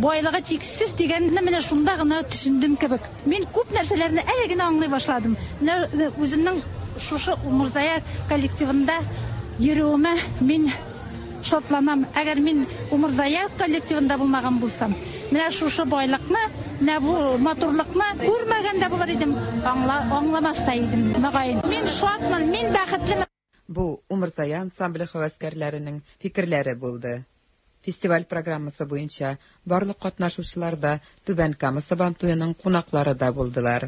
байлыгы чиксез дигәнне менә шунда гына төшендем кебек. Мин күп нәрсәләрне әле генә аңлый башладым. Менә үземнең шушы Умырзая коллективында йөрүемә мин шатланам. Әгәр мин Умырзая коллективында булмаган булсам, менә шушы байлыкны, менә бу матурлыкны күрмәгән дә булыр идем, аңламас та идем, мөгаен. Мин шатмын, мин бәхетлемен. Бу Умырзая ансамбле һәвәскәрләренең фикерләре булды. Фестиваль программасы буенча барлык катнашучылар да Түбән Кама Сабантуеның кунаклары да булдылар.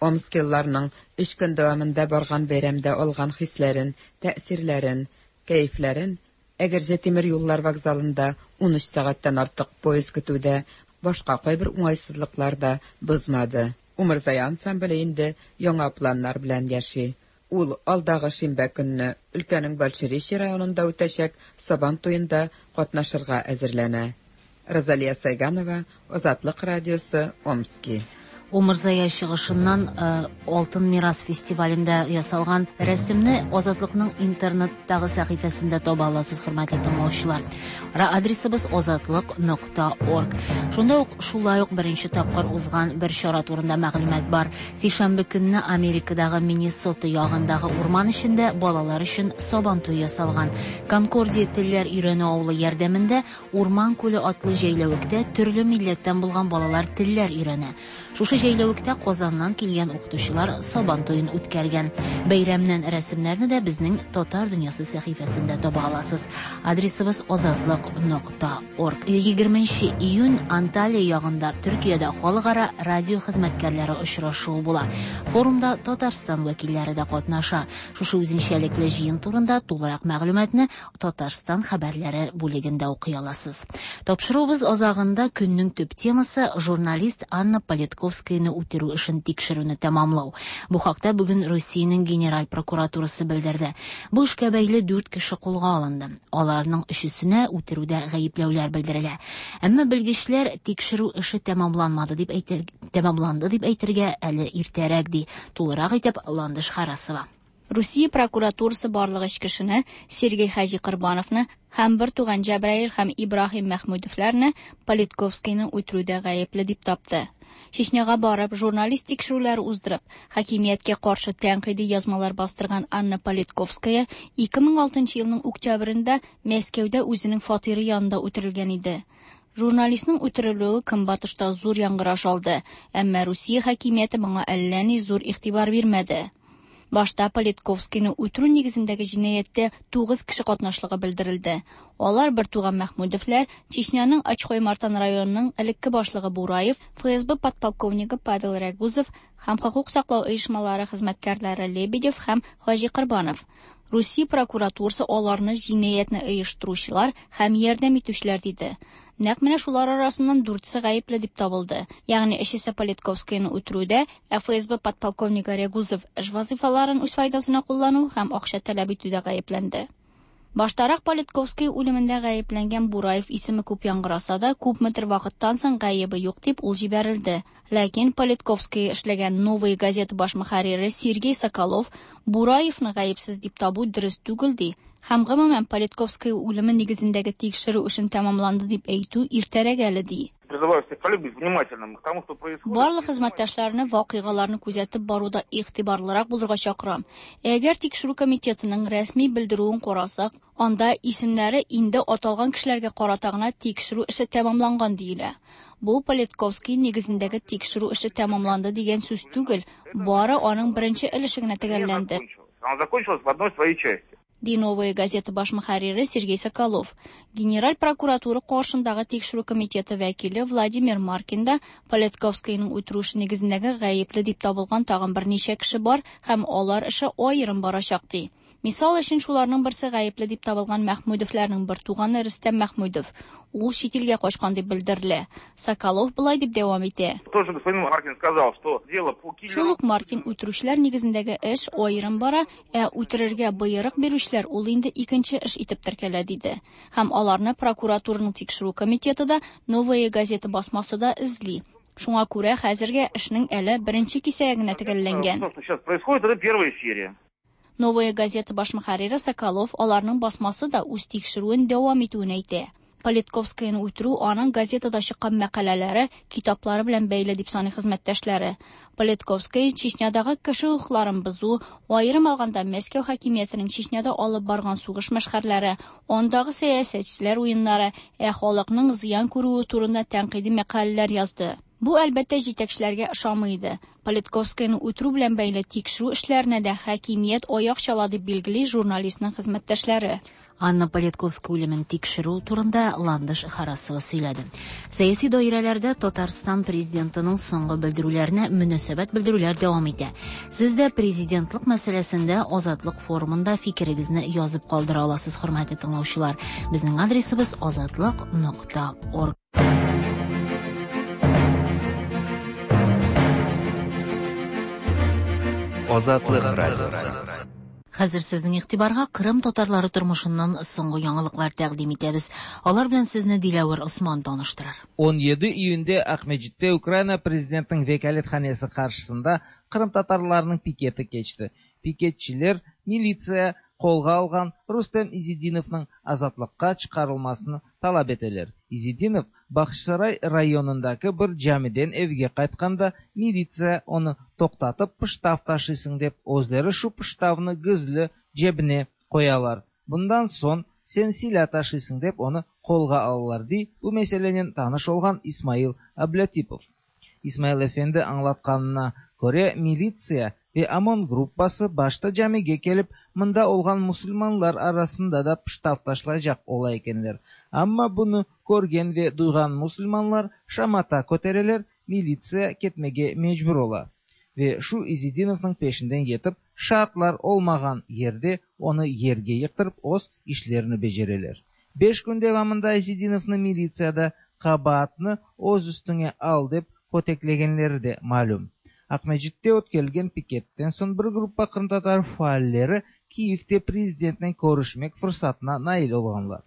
Омскилыларның өч көн дәвамында барган бәйрәмдә алган хисләрен, тәэсирләрен, кәефләрен Әгерҗе тимер юллар вокзалында 13 сәгатьтән артык поезд көтү дә, башка кайбер уңайсызлыклар да бозмады. Умырзая ансамбле инде яңа планнар белән яши. Ул алдагы шимбә көнне өлкәнең Большеречье районында үтәчәк Сабан туенда катнашырга әзерләнә. Розалия Сайганова, Азатлык радиосы, Омски. Умырзая чыгышыннан Алтын мирас фестивалендә ясалган рәсемне Азатлыкның интернеттагы сәхифәсендә таба аласыз, хөрмәтле тыңлаучылар. Адресыбыз азатлык.орг. Шунда ук шулай ук беренче тапкыр узган бер чара турында мәгълүмат бар. Сишәмбе көнне Америкадагы Миннесота ягындагы урман эчендә балалар өчен Сабан туе ясалган. Конкордия телләр өйрәнү авылы ярдәмендә Урман күле атлы җәйләвектә төрле милләттән булган балалар телләр өйрәнә. Шушы җәйләвектә Казаннан килгән укытучылар Сабан туен үткәргән. Бәйрәмнән рәсемнәрне дә безнең Татар дөньясы сәхифәсендә таба аласыз. Адресыбыз азатлык.орг. 20 июнь Анталия ягында Төркиядә халыкара радио хезмәткәрләре очрашуы була. Форумда Татарстан вәкилләре дә катнаша. Шушы үзенчәлекле җыен турында тулырак мәгълүматны Татарстан хәбәрләре бүлегендә укый аласыз. Тапшыруыбыз азагында көннең төп темасы журналист Анна Политковскаяны үтерү эшен тикшерүне тәмамлау. Бу хакта бүген Русиянең Генераль прокуратурасы белдерде. Бу эшкә бәйле 4 кеше кулга алынды. Аларның өчесенә үтерүдә гаепләүләр белдерелә. Әмма белгечләр тикшерү эше тәмамланмады дип әйтер, тәмамланды дип әйтергә әле иртәрәк ди. Тулырак итеп Ландыш Харасова. Русия прокуратурасы барлык өч кешене Сергей Хаҗи Корбановны һәм бер туган Җәбраил һәм Ибраһим Мәхмүдовларны Политковскийны үтерүдә гаепле дип тапты. Чечняга барып, журналист тикшерүләре уздырып, хакимияткә каршы тәнкыйди язмалар бастырган Анна Политковская 2006 елның октябрендә Мәскәүдә үзенең фатиры янында үтерелгән иде. Журналистның үтерелүе Көнбатышта зур яңгыраш алды, әмма Русия хакимияте моңа әллә ни зур игътибар бирмәде. Башта Политковскийны үтерү нигезендәге җинаятьтә 9 кеше катнашлыгы белдерелде. Алар бер туган Мәхмүдовлар, Чечняның Ачхой-Мартан районының элекке башлыгы Бураев, ФСБ подполковнигы Павел Рягузов һәм хокук саклау оешмалары хезмәткәрләре Лебедев һәм Хаҗикорбанов. Русия прокуратурасы аларны җинаятьне оештыручылар һәм ярдәм итүчеләр диде. Нәкъ менә шулар арасыннан дүртесе гаепле дип табылды. Ягъни өчесе Политковскийны үтерүдә, ә ФСБ подполковнигы Рягузов эш вазыйфаларын үз файдасына куллану һәм акча таләп итүдә гаепләнде. Баштарак Политковский үлемендә гаепләнгән Бураев исеме күп яңгыраса да, күпмедер вакыттан соң гаебе юк дип ул җибәрелде. Ләкин Политковский эшләгән Новая газета баш мөхәррире Сергей Соколов Бураевны гаепсез дип табу дөрес түгел ди һәм гомумән Политковский үлеме нигезендәге тикшерү эшен тәмамланды дип әйтү иртәрәк әле ди. Призываю всех коллег быть внимательным к тому, что происходит. Барлык хезмәттәшләрне вакыйгаларны күзәтеп баруда игътибарлырак булырга чакырам. Әгәр тикшерү комитетының рәсми белдерүен карасак, анда исемнәре инде аталган кешеләргә карата гына тикшерү эше тәмамланган диелә. Бу Политковский нигезендәге тикшерү эше тәмамланды дигән сүз түгел, бары аның беренче өлеше генә төгәлләнде. Она закончилась в одной своей части. Ди Новая газета баш мөхәррире Сергей Соколов. Генераль прокуратура каршындагы тикшерү комитеты вәкиле Владимир Маркин да Политковскийның үтерү эше нигезендәге гаепле дип табылган тагын берничә кеше бар һәм алар эше аерым барачак ди. Мисал өчен шуларның берсе гаепле дип табылган Мәхмүдовларның бер туганы Рөстәм Мәхмүдов. Ул чит илгә качкан дип белдерелә. Соколов болай дип дәвам итә. Тоже господин Маркин сказал, что дело по киллеру... Шул ук Маркин үтерүчеләр нигезендәге эш аерым бара, ә үтерергә боерык бирүчеләр ул инде икенче эш итеп теркәлә диде. Һәм аларны прокуратураның тикшерү комитеты да, Новая газета басмасы да эзли. Шуңа күрә хәзергә эшнең әле беренче кисәге генә төгәлләнгән. То, что сейчас происходит, это первая серия. Новая газета баш мөхәррире Соколов аларның басмасы да үз тикшерүен дәвам итүен әйтә. Политковскийны үтерү аның газетада чыккан мәкаләләре, китаплары белән бәйле дип саный хезмәттәшләре. Политковский Чечнядагы кеше хокукларын бозу, аерым алганда Мәскәү хакимиятенең Чечняда алып барган сугыш мәшхәрләре, андагы сәясәтчеләр уеннары, ә халыкның зыян күрүе турында тәнкыйди мәкаләләр язды. Бу әлбәттә җитәкчеләргә ошамый иде. Политковскийны үтерү белән бәйле тикшерү эшләренә дә хакимият аяк чала дип билгели журналистның хезмәттәшләре. Анна Политковская үлемен тикшерү турында Ландыш Харасова сөйләде. Сәяси даирәләрдә Татарстан президентының соңгы белдерүләренә мөнәсәбәт белдерүләр дәвам итә. Сез дә президентлык мәсьәләсендә Азатлык форумында фикерегезне язып калдыра аласыз, хөрмәтле тыңлаучылар. Безнең адресыбыз азатлык.орг. Азатлык радиосы. Хәзер сезнең игътибарга Кырым татарлары тормышыннан соңгы яңалыклар тәкъдим итәбез. Алар белән сезне Диләвер Осман таныштырыр. 17 июньде Акмеджитте Украина президентының вәкаләтханәсе каршысында Кырым татарларының пикеты кечте. Пикетчиләр милиция колга алган Рустем Изидиновның азатлыкка чыгарылмасын таләп итәләр. Изидинов Бахчисарай районындагы бер җамидән эвгә кайтканда милиция аны токтатып пыштав ташыйсың дип, үзләре шу пыштавны гизли җебенә куялар. Bundan soң сен силә ташыйсың дип аны колга алалар ди бу мәсьәләнең таныш булган Исмаил Аблятипов. Исмаил әфәнде аңлатканына күрә, милиция вә ОМОН группасы башта җамигә килеп, монда булган мусульманнар арасында да пыштав ташлаячак була икәннәр. Әмма буны күргән вә дуйган мусульманнар шамата көтәрәләр, милиция кетмәгә мәҗбүр була. Вә шу Изидиновның пешендән йетеп, шартлар olмаган ерде оны ергә ектырып, оз ишләрен беҗерәләр. 5 көн дәвамында Изидиновны милициядә кабаатны оз өстеңә ал дип көтекләгәннәре дә мәгълүм. Акмеджитте үткәрелгән пикеттән соң бер группа кырымтатар фаалләре Киевтә президент белән күрешмәк форсатына наил булганнар.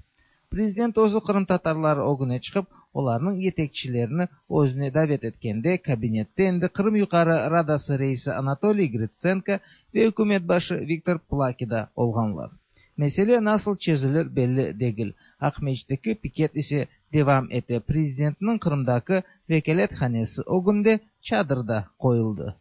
Президент үзе кырымтатарлар огынә чыгып, аларның җитәкчеләрен үзенә дәвәт иткәндә, кабинетта инде Кырым Югары Радасы рәисе Анатолий Гриценко вә хөкүмәт башы Виктор Плаки да булганнар. Мәсьәлә насыл чөзелер белли түгел. Акмеджиттәге пикет исә дәвам итә. Президентның Кырымдагы вәкаләтханәсе огында чадыр да куелды.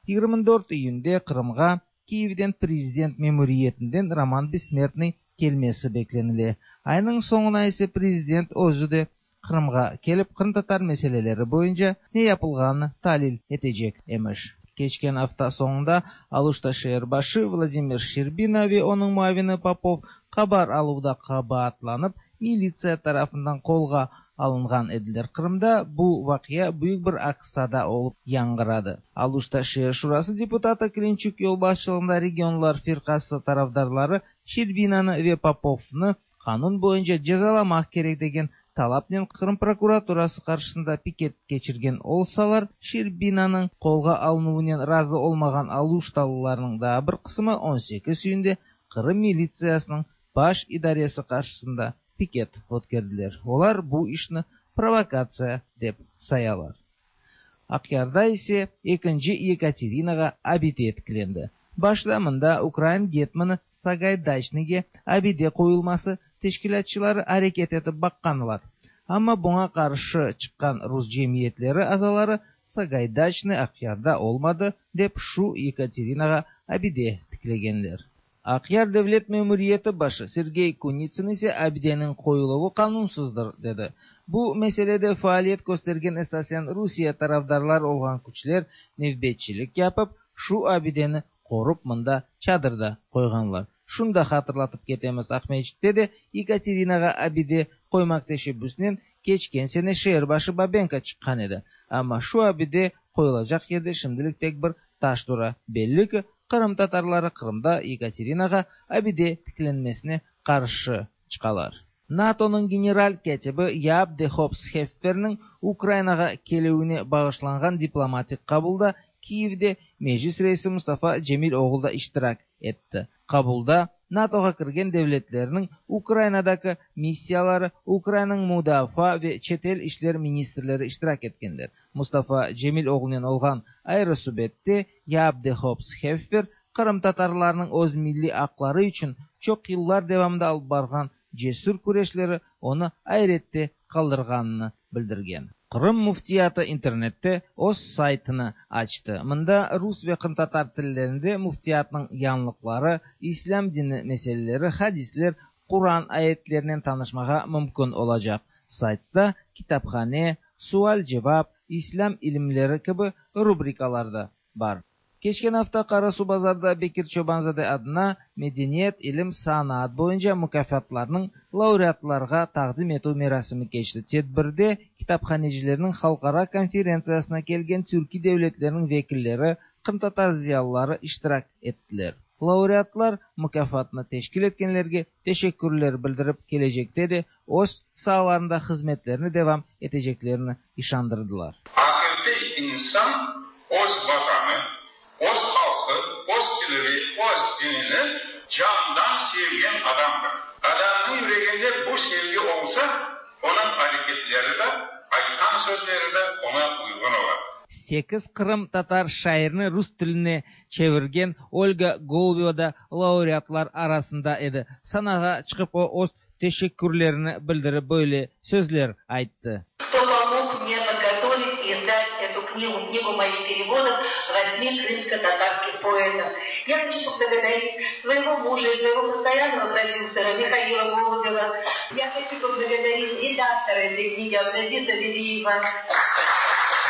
24 июньдә Кырымга Киевдән президент мемуриятеннән Роман Бессмертный килмәсе бәкләнелә. Айның соңына исә президент үзе дә Кырымга килеп кырымтатар мәсьәләләре буенча ни yapылганын талил итәчәк имеш. Кечкен hafta соңында Алушта шәһәр башы Владимир Щербина вә аның муавины Попов кабар алуда кабаатланып, милиция тарафыннан колга alınğan ediler. Qırımda bu vaqia büyük bir aks-sada olıp yañğıradı. Aluşta şeer şurası deputatı Klinçuk yolbaşçılığında Regionlar firqası tarafdarları Şerbinanı ve Popovnı qanun boyunca cezalamaq kerek degen talapnen Qırım prokuraturası qarşısında piket keçirgen olsalar, Şerbinanıñ qolğa alınuvınen razı olmağan aluştalılarnıñ daa bir qısımı 18 iyünde Qırım militsiyasınıñ baş idaresi qarşısında piket ötkerdiler. Olar bu işni provokatsiya dep sayalar. Aqyarda ise ekinci Yekaterinağa abide tiklendi. Başta mında ukrain getmanı Sagaydaçnıyge abide qoyulması teşkilâtçıları areket etip baqqanlar. Amma buña qarşı çıqqan rus cemiyetleri azaları Sagaydaçnıy Aqyarda olmadı dep şu Yekaterinağa abide tiklegenler. Aqyar devlet memuriyeti başı Sergey Kunitsın ise abideniñ qoyuluvı qanunsızdır, dedi. Bu meselede faaliyet köstergen esasen Rusiye tarafdarlar olğan küçler nevbetçilik yapıp, şu abideni qorup mında çadır da qoyğanlar. Şunı da hatırlatıp ketemiz, Aqmescitte de Yekaterinağa abide qoymaq teşebbüsinen keçken sene şeer başı Babenko çıqqan edi. Amma şu abide qoyulacaq yerde şimdilik tek bir taş tura. Belli ki, qırımtatarları Qırımda Yekaterinağa abide tiklenmesine qarşı çıqalar. NATOnıñ general kâtibi Yaap de Hoop Schefferniñ Ukrainağa kelüvine bağışlanğan diplomatik qabulda Kiyevde Meclis reisi Mustafa Cemil oğlu da iştirak etti. Qabulda NATOğa kirgen devletlerniñ Ukrainadaki missiyaları, Ukrainanıñ mudafaa ve çetel işler ministrleri iştirak etkenler. Mustafa Cemil oğlunen olğan ayrı subette Yaap de Hoop Scheffer qırımtatarlarnıñ öz milliy aqları içün çoq yıllar devamında alıp barğan cesür küreşleri onı ayrette qaldırğanını bildirgen. Qırım Müftiyatı internette öz saytını açtı. Mında rus ve qırımtatar tillerinde Müftiyatnıñ yañılıqları, İslâm dini meseleleri, hadisler, Quran ayetlerinen tanışmağa mümkün olacaq. Saytta Kitaphane, Sual-cevap, İslâm ilimleri kibi rubrikalar da bar. Keçken afta Qarasuvbazarda Bekir Çoban-zade adına medeniyet, ilim, sanaat boyunca mukâfatlarnıñ laureatlarğa taqdim etüv merasimi keçti. Tedbirde kitaphanecilerniñ halqara konferentsiyasına kelgen türkiy devletlerniñ vekilleri, qırımtatar ziyalıları iştirak ettiler. Laureatlar mukâfatnı teşkil etkenlerge teşekkürler bildirip, kelecekte de öz saalarında hızmetlerini devam eteceklerini işandırdılar. Aqiqiy insan öz Vatanı, öz halqı, öz tili ve öz dinini candan sevgen adamdır. Adamnıñ yüreginde bu sevgi olsa, onıñ areketleri de, aytqan sözleri de oña uyğun ola. Sekiz qırımtatar şairini rus tiline çevirgen Olga Golubeva da laureatlar arasında edi. Sanağa çıqıp o, öz teşekkürlerini bildirip böyle sözler ayttı. Кто помог мне подготовить и издать эту книгу, книгу моих переводов восьми крымско-татарских поэтов. Я хочу поблагодарить своего мужа и своего постоянного продюсера Михаила Голубева. Я хочу поблагодарить редактора этой книги Абдазиза Велиева,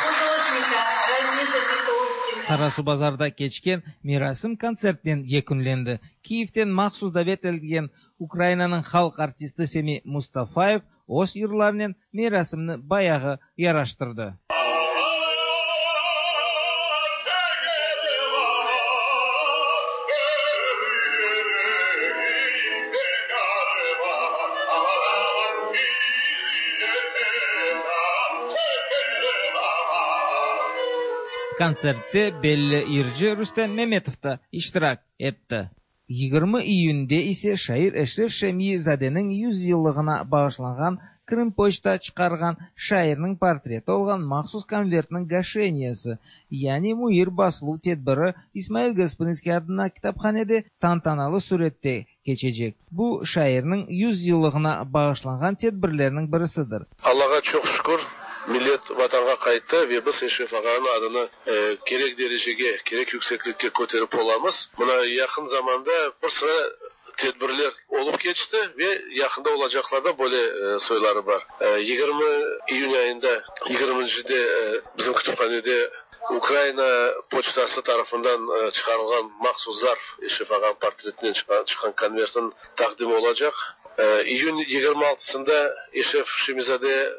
художника Разиза Витовскина. Qarasuvbazarda keçken merasim kontsertnen yekünlendi. Kiyevden mahsus davet etilgen Ukrainanıñ halq artisti Femi Mustafayev öz yırlarınen merasimni bayağı yaraştırdı. Kontsertte belli yırcı Rustem Memetov da iştirak etti. 20 iyünde ise şair Eşref Şemi-zadeniñ 100 yıllığına bağışlanğan Krımpoçta çıqarğan şairniñ portreti olğan mahsus konvertniñ gaşeniyesi, yani müir basıluv tedbiri İsmail Gasprinskiy adına kitaphanede tantanalı sürette keçecek. Bu, şairniñ 100 yıllığına bağışlanğan tedbirlerniñ birisidir. Allağa çoq şükür, millet Vatanğa qayttı ve biz Eşref ağanıñ adını kerek derecege, kerek yükseklikke köterip olamız. Mına yaqın zamanda bir sıra tedbirler olıp keçti ve yaqında olacaqlar da böyle soyları bar. 20 iyün ayında, yigirmincide bizim kütüphanede Ukraina poçtası tarafından çıqarılğan mahsus zarf, Eşref ağanıñ portretinen çıqqan konvertniñ taqdimi olacaq. İyün yigirmi altısında Eşref Şemizade.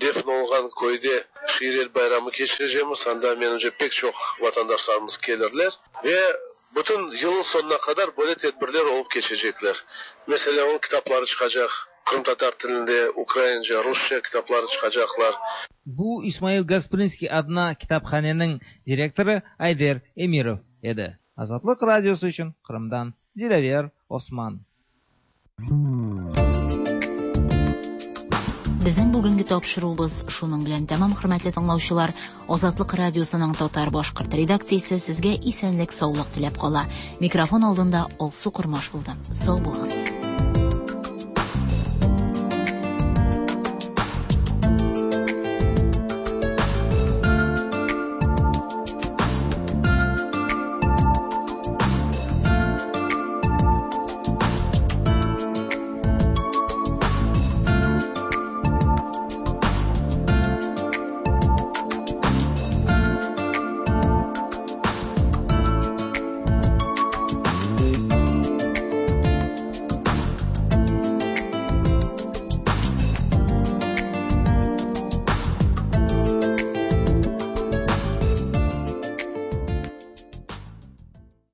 Defn olunğan köyde şiirler bayramı keçirecekmiz. Anda, menimce, pek çoq vatandaşlarımız kelirler. Ve bütün yılnıñ soñuna qadar böyle tedbirler olıp keçecekler. Meselâ, onıñ kitapları çıqacaq, qırımtatar tilinde, ukraince, rusça kitapları çıqacaqlar. Bu İsmail Gasprinskiy adına kitaphaneniñ direktorı Ayder Emirov edi. Azatlıq Radiosı içün Qırımdan Dilâver Osman. Безнең бүгенге тапшыруыбыз шуның белән тәмам, хөрмәтле тыңлаучылар. Азатлык радиосының татар-башкорт редакциясе сезгә исәнлек-саулык теләп кала. Микрофон алдында Алсу Кормаш булды. Сау булыгыз.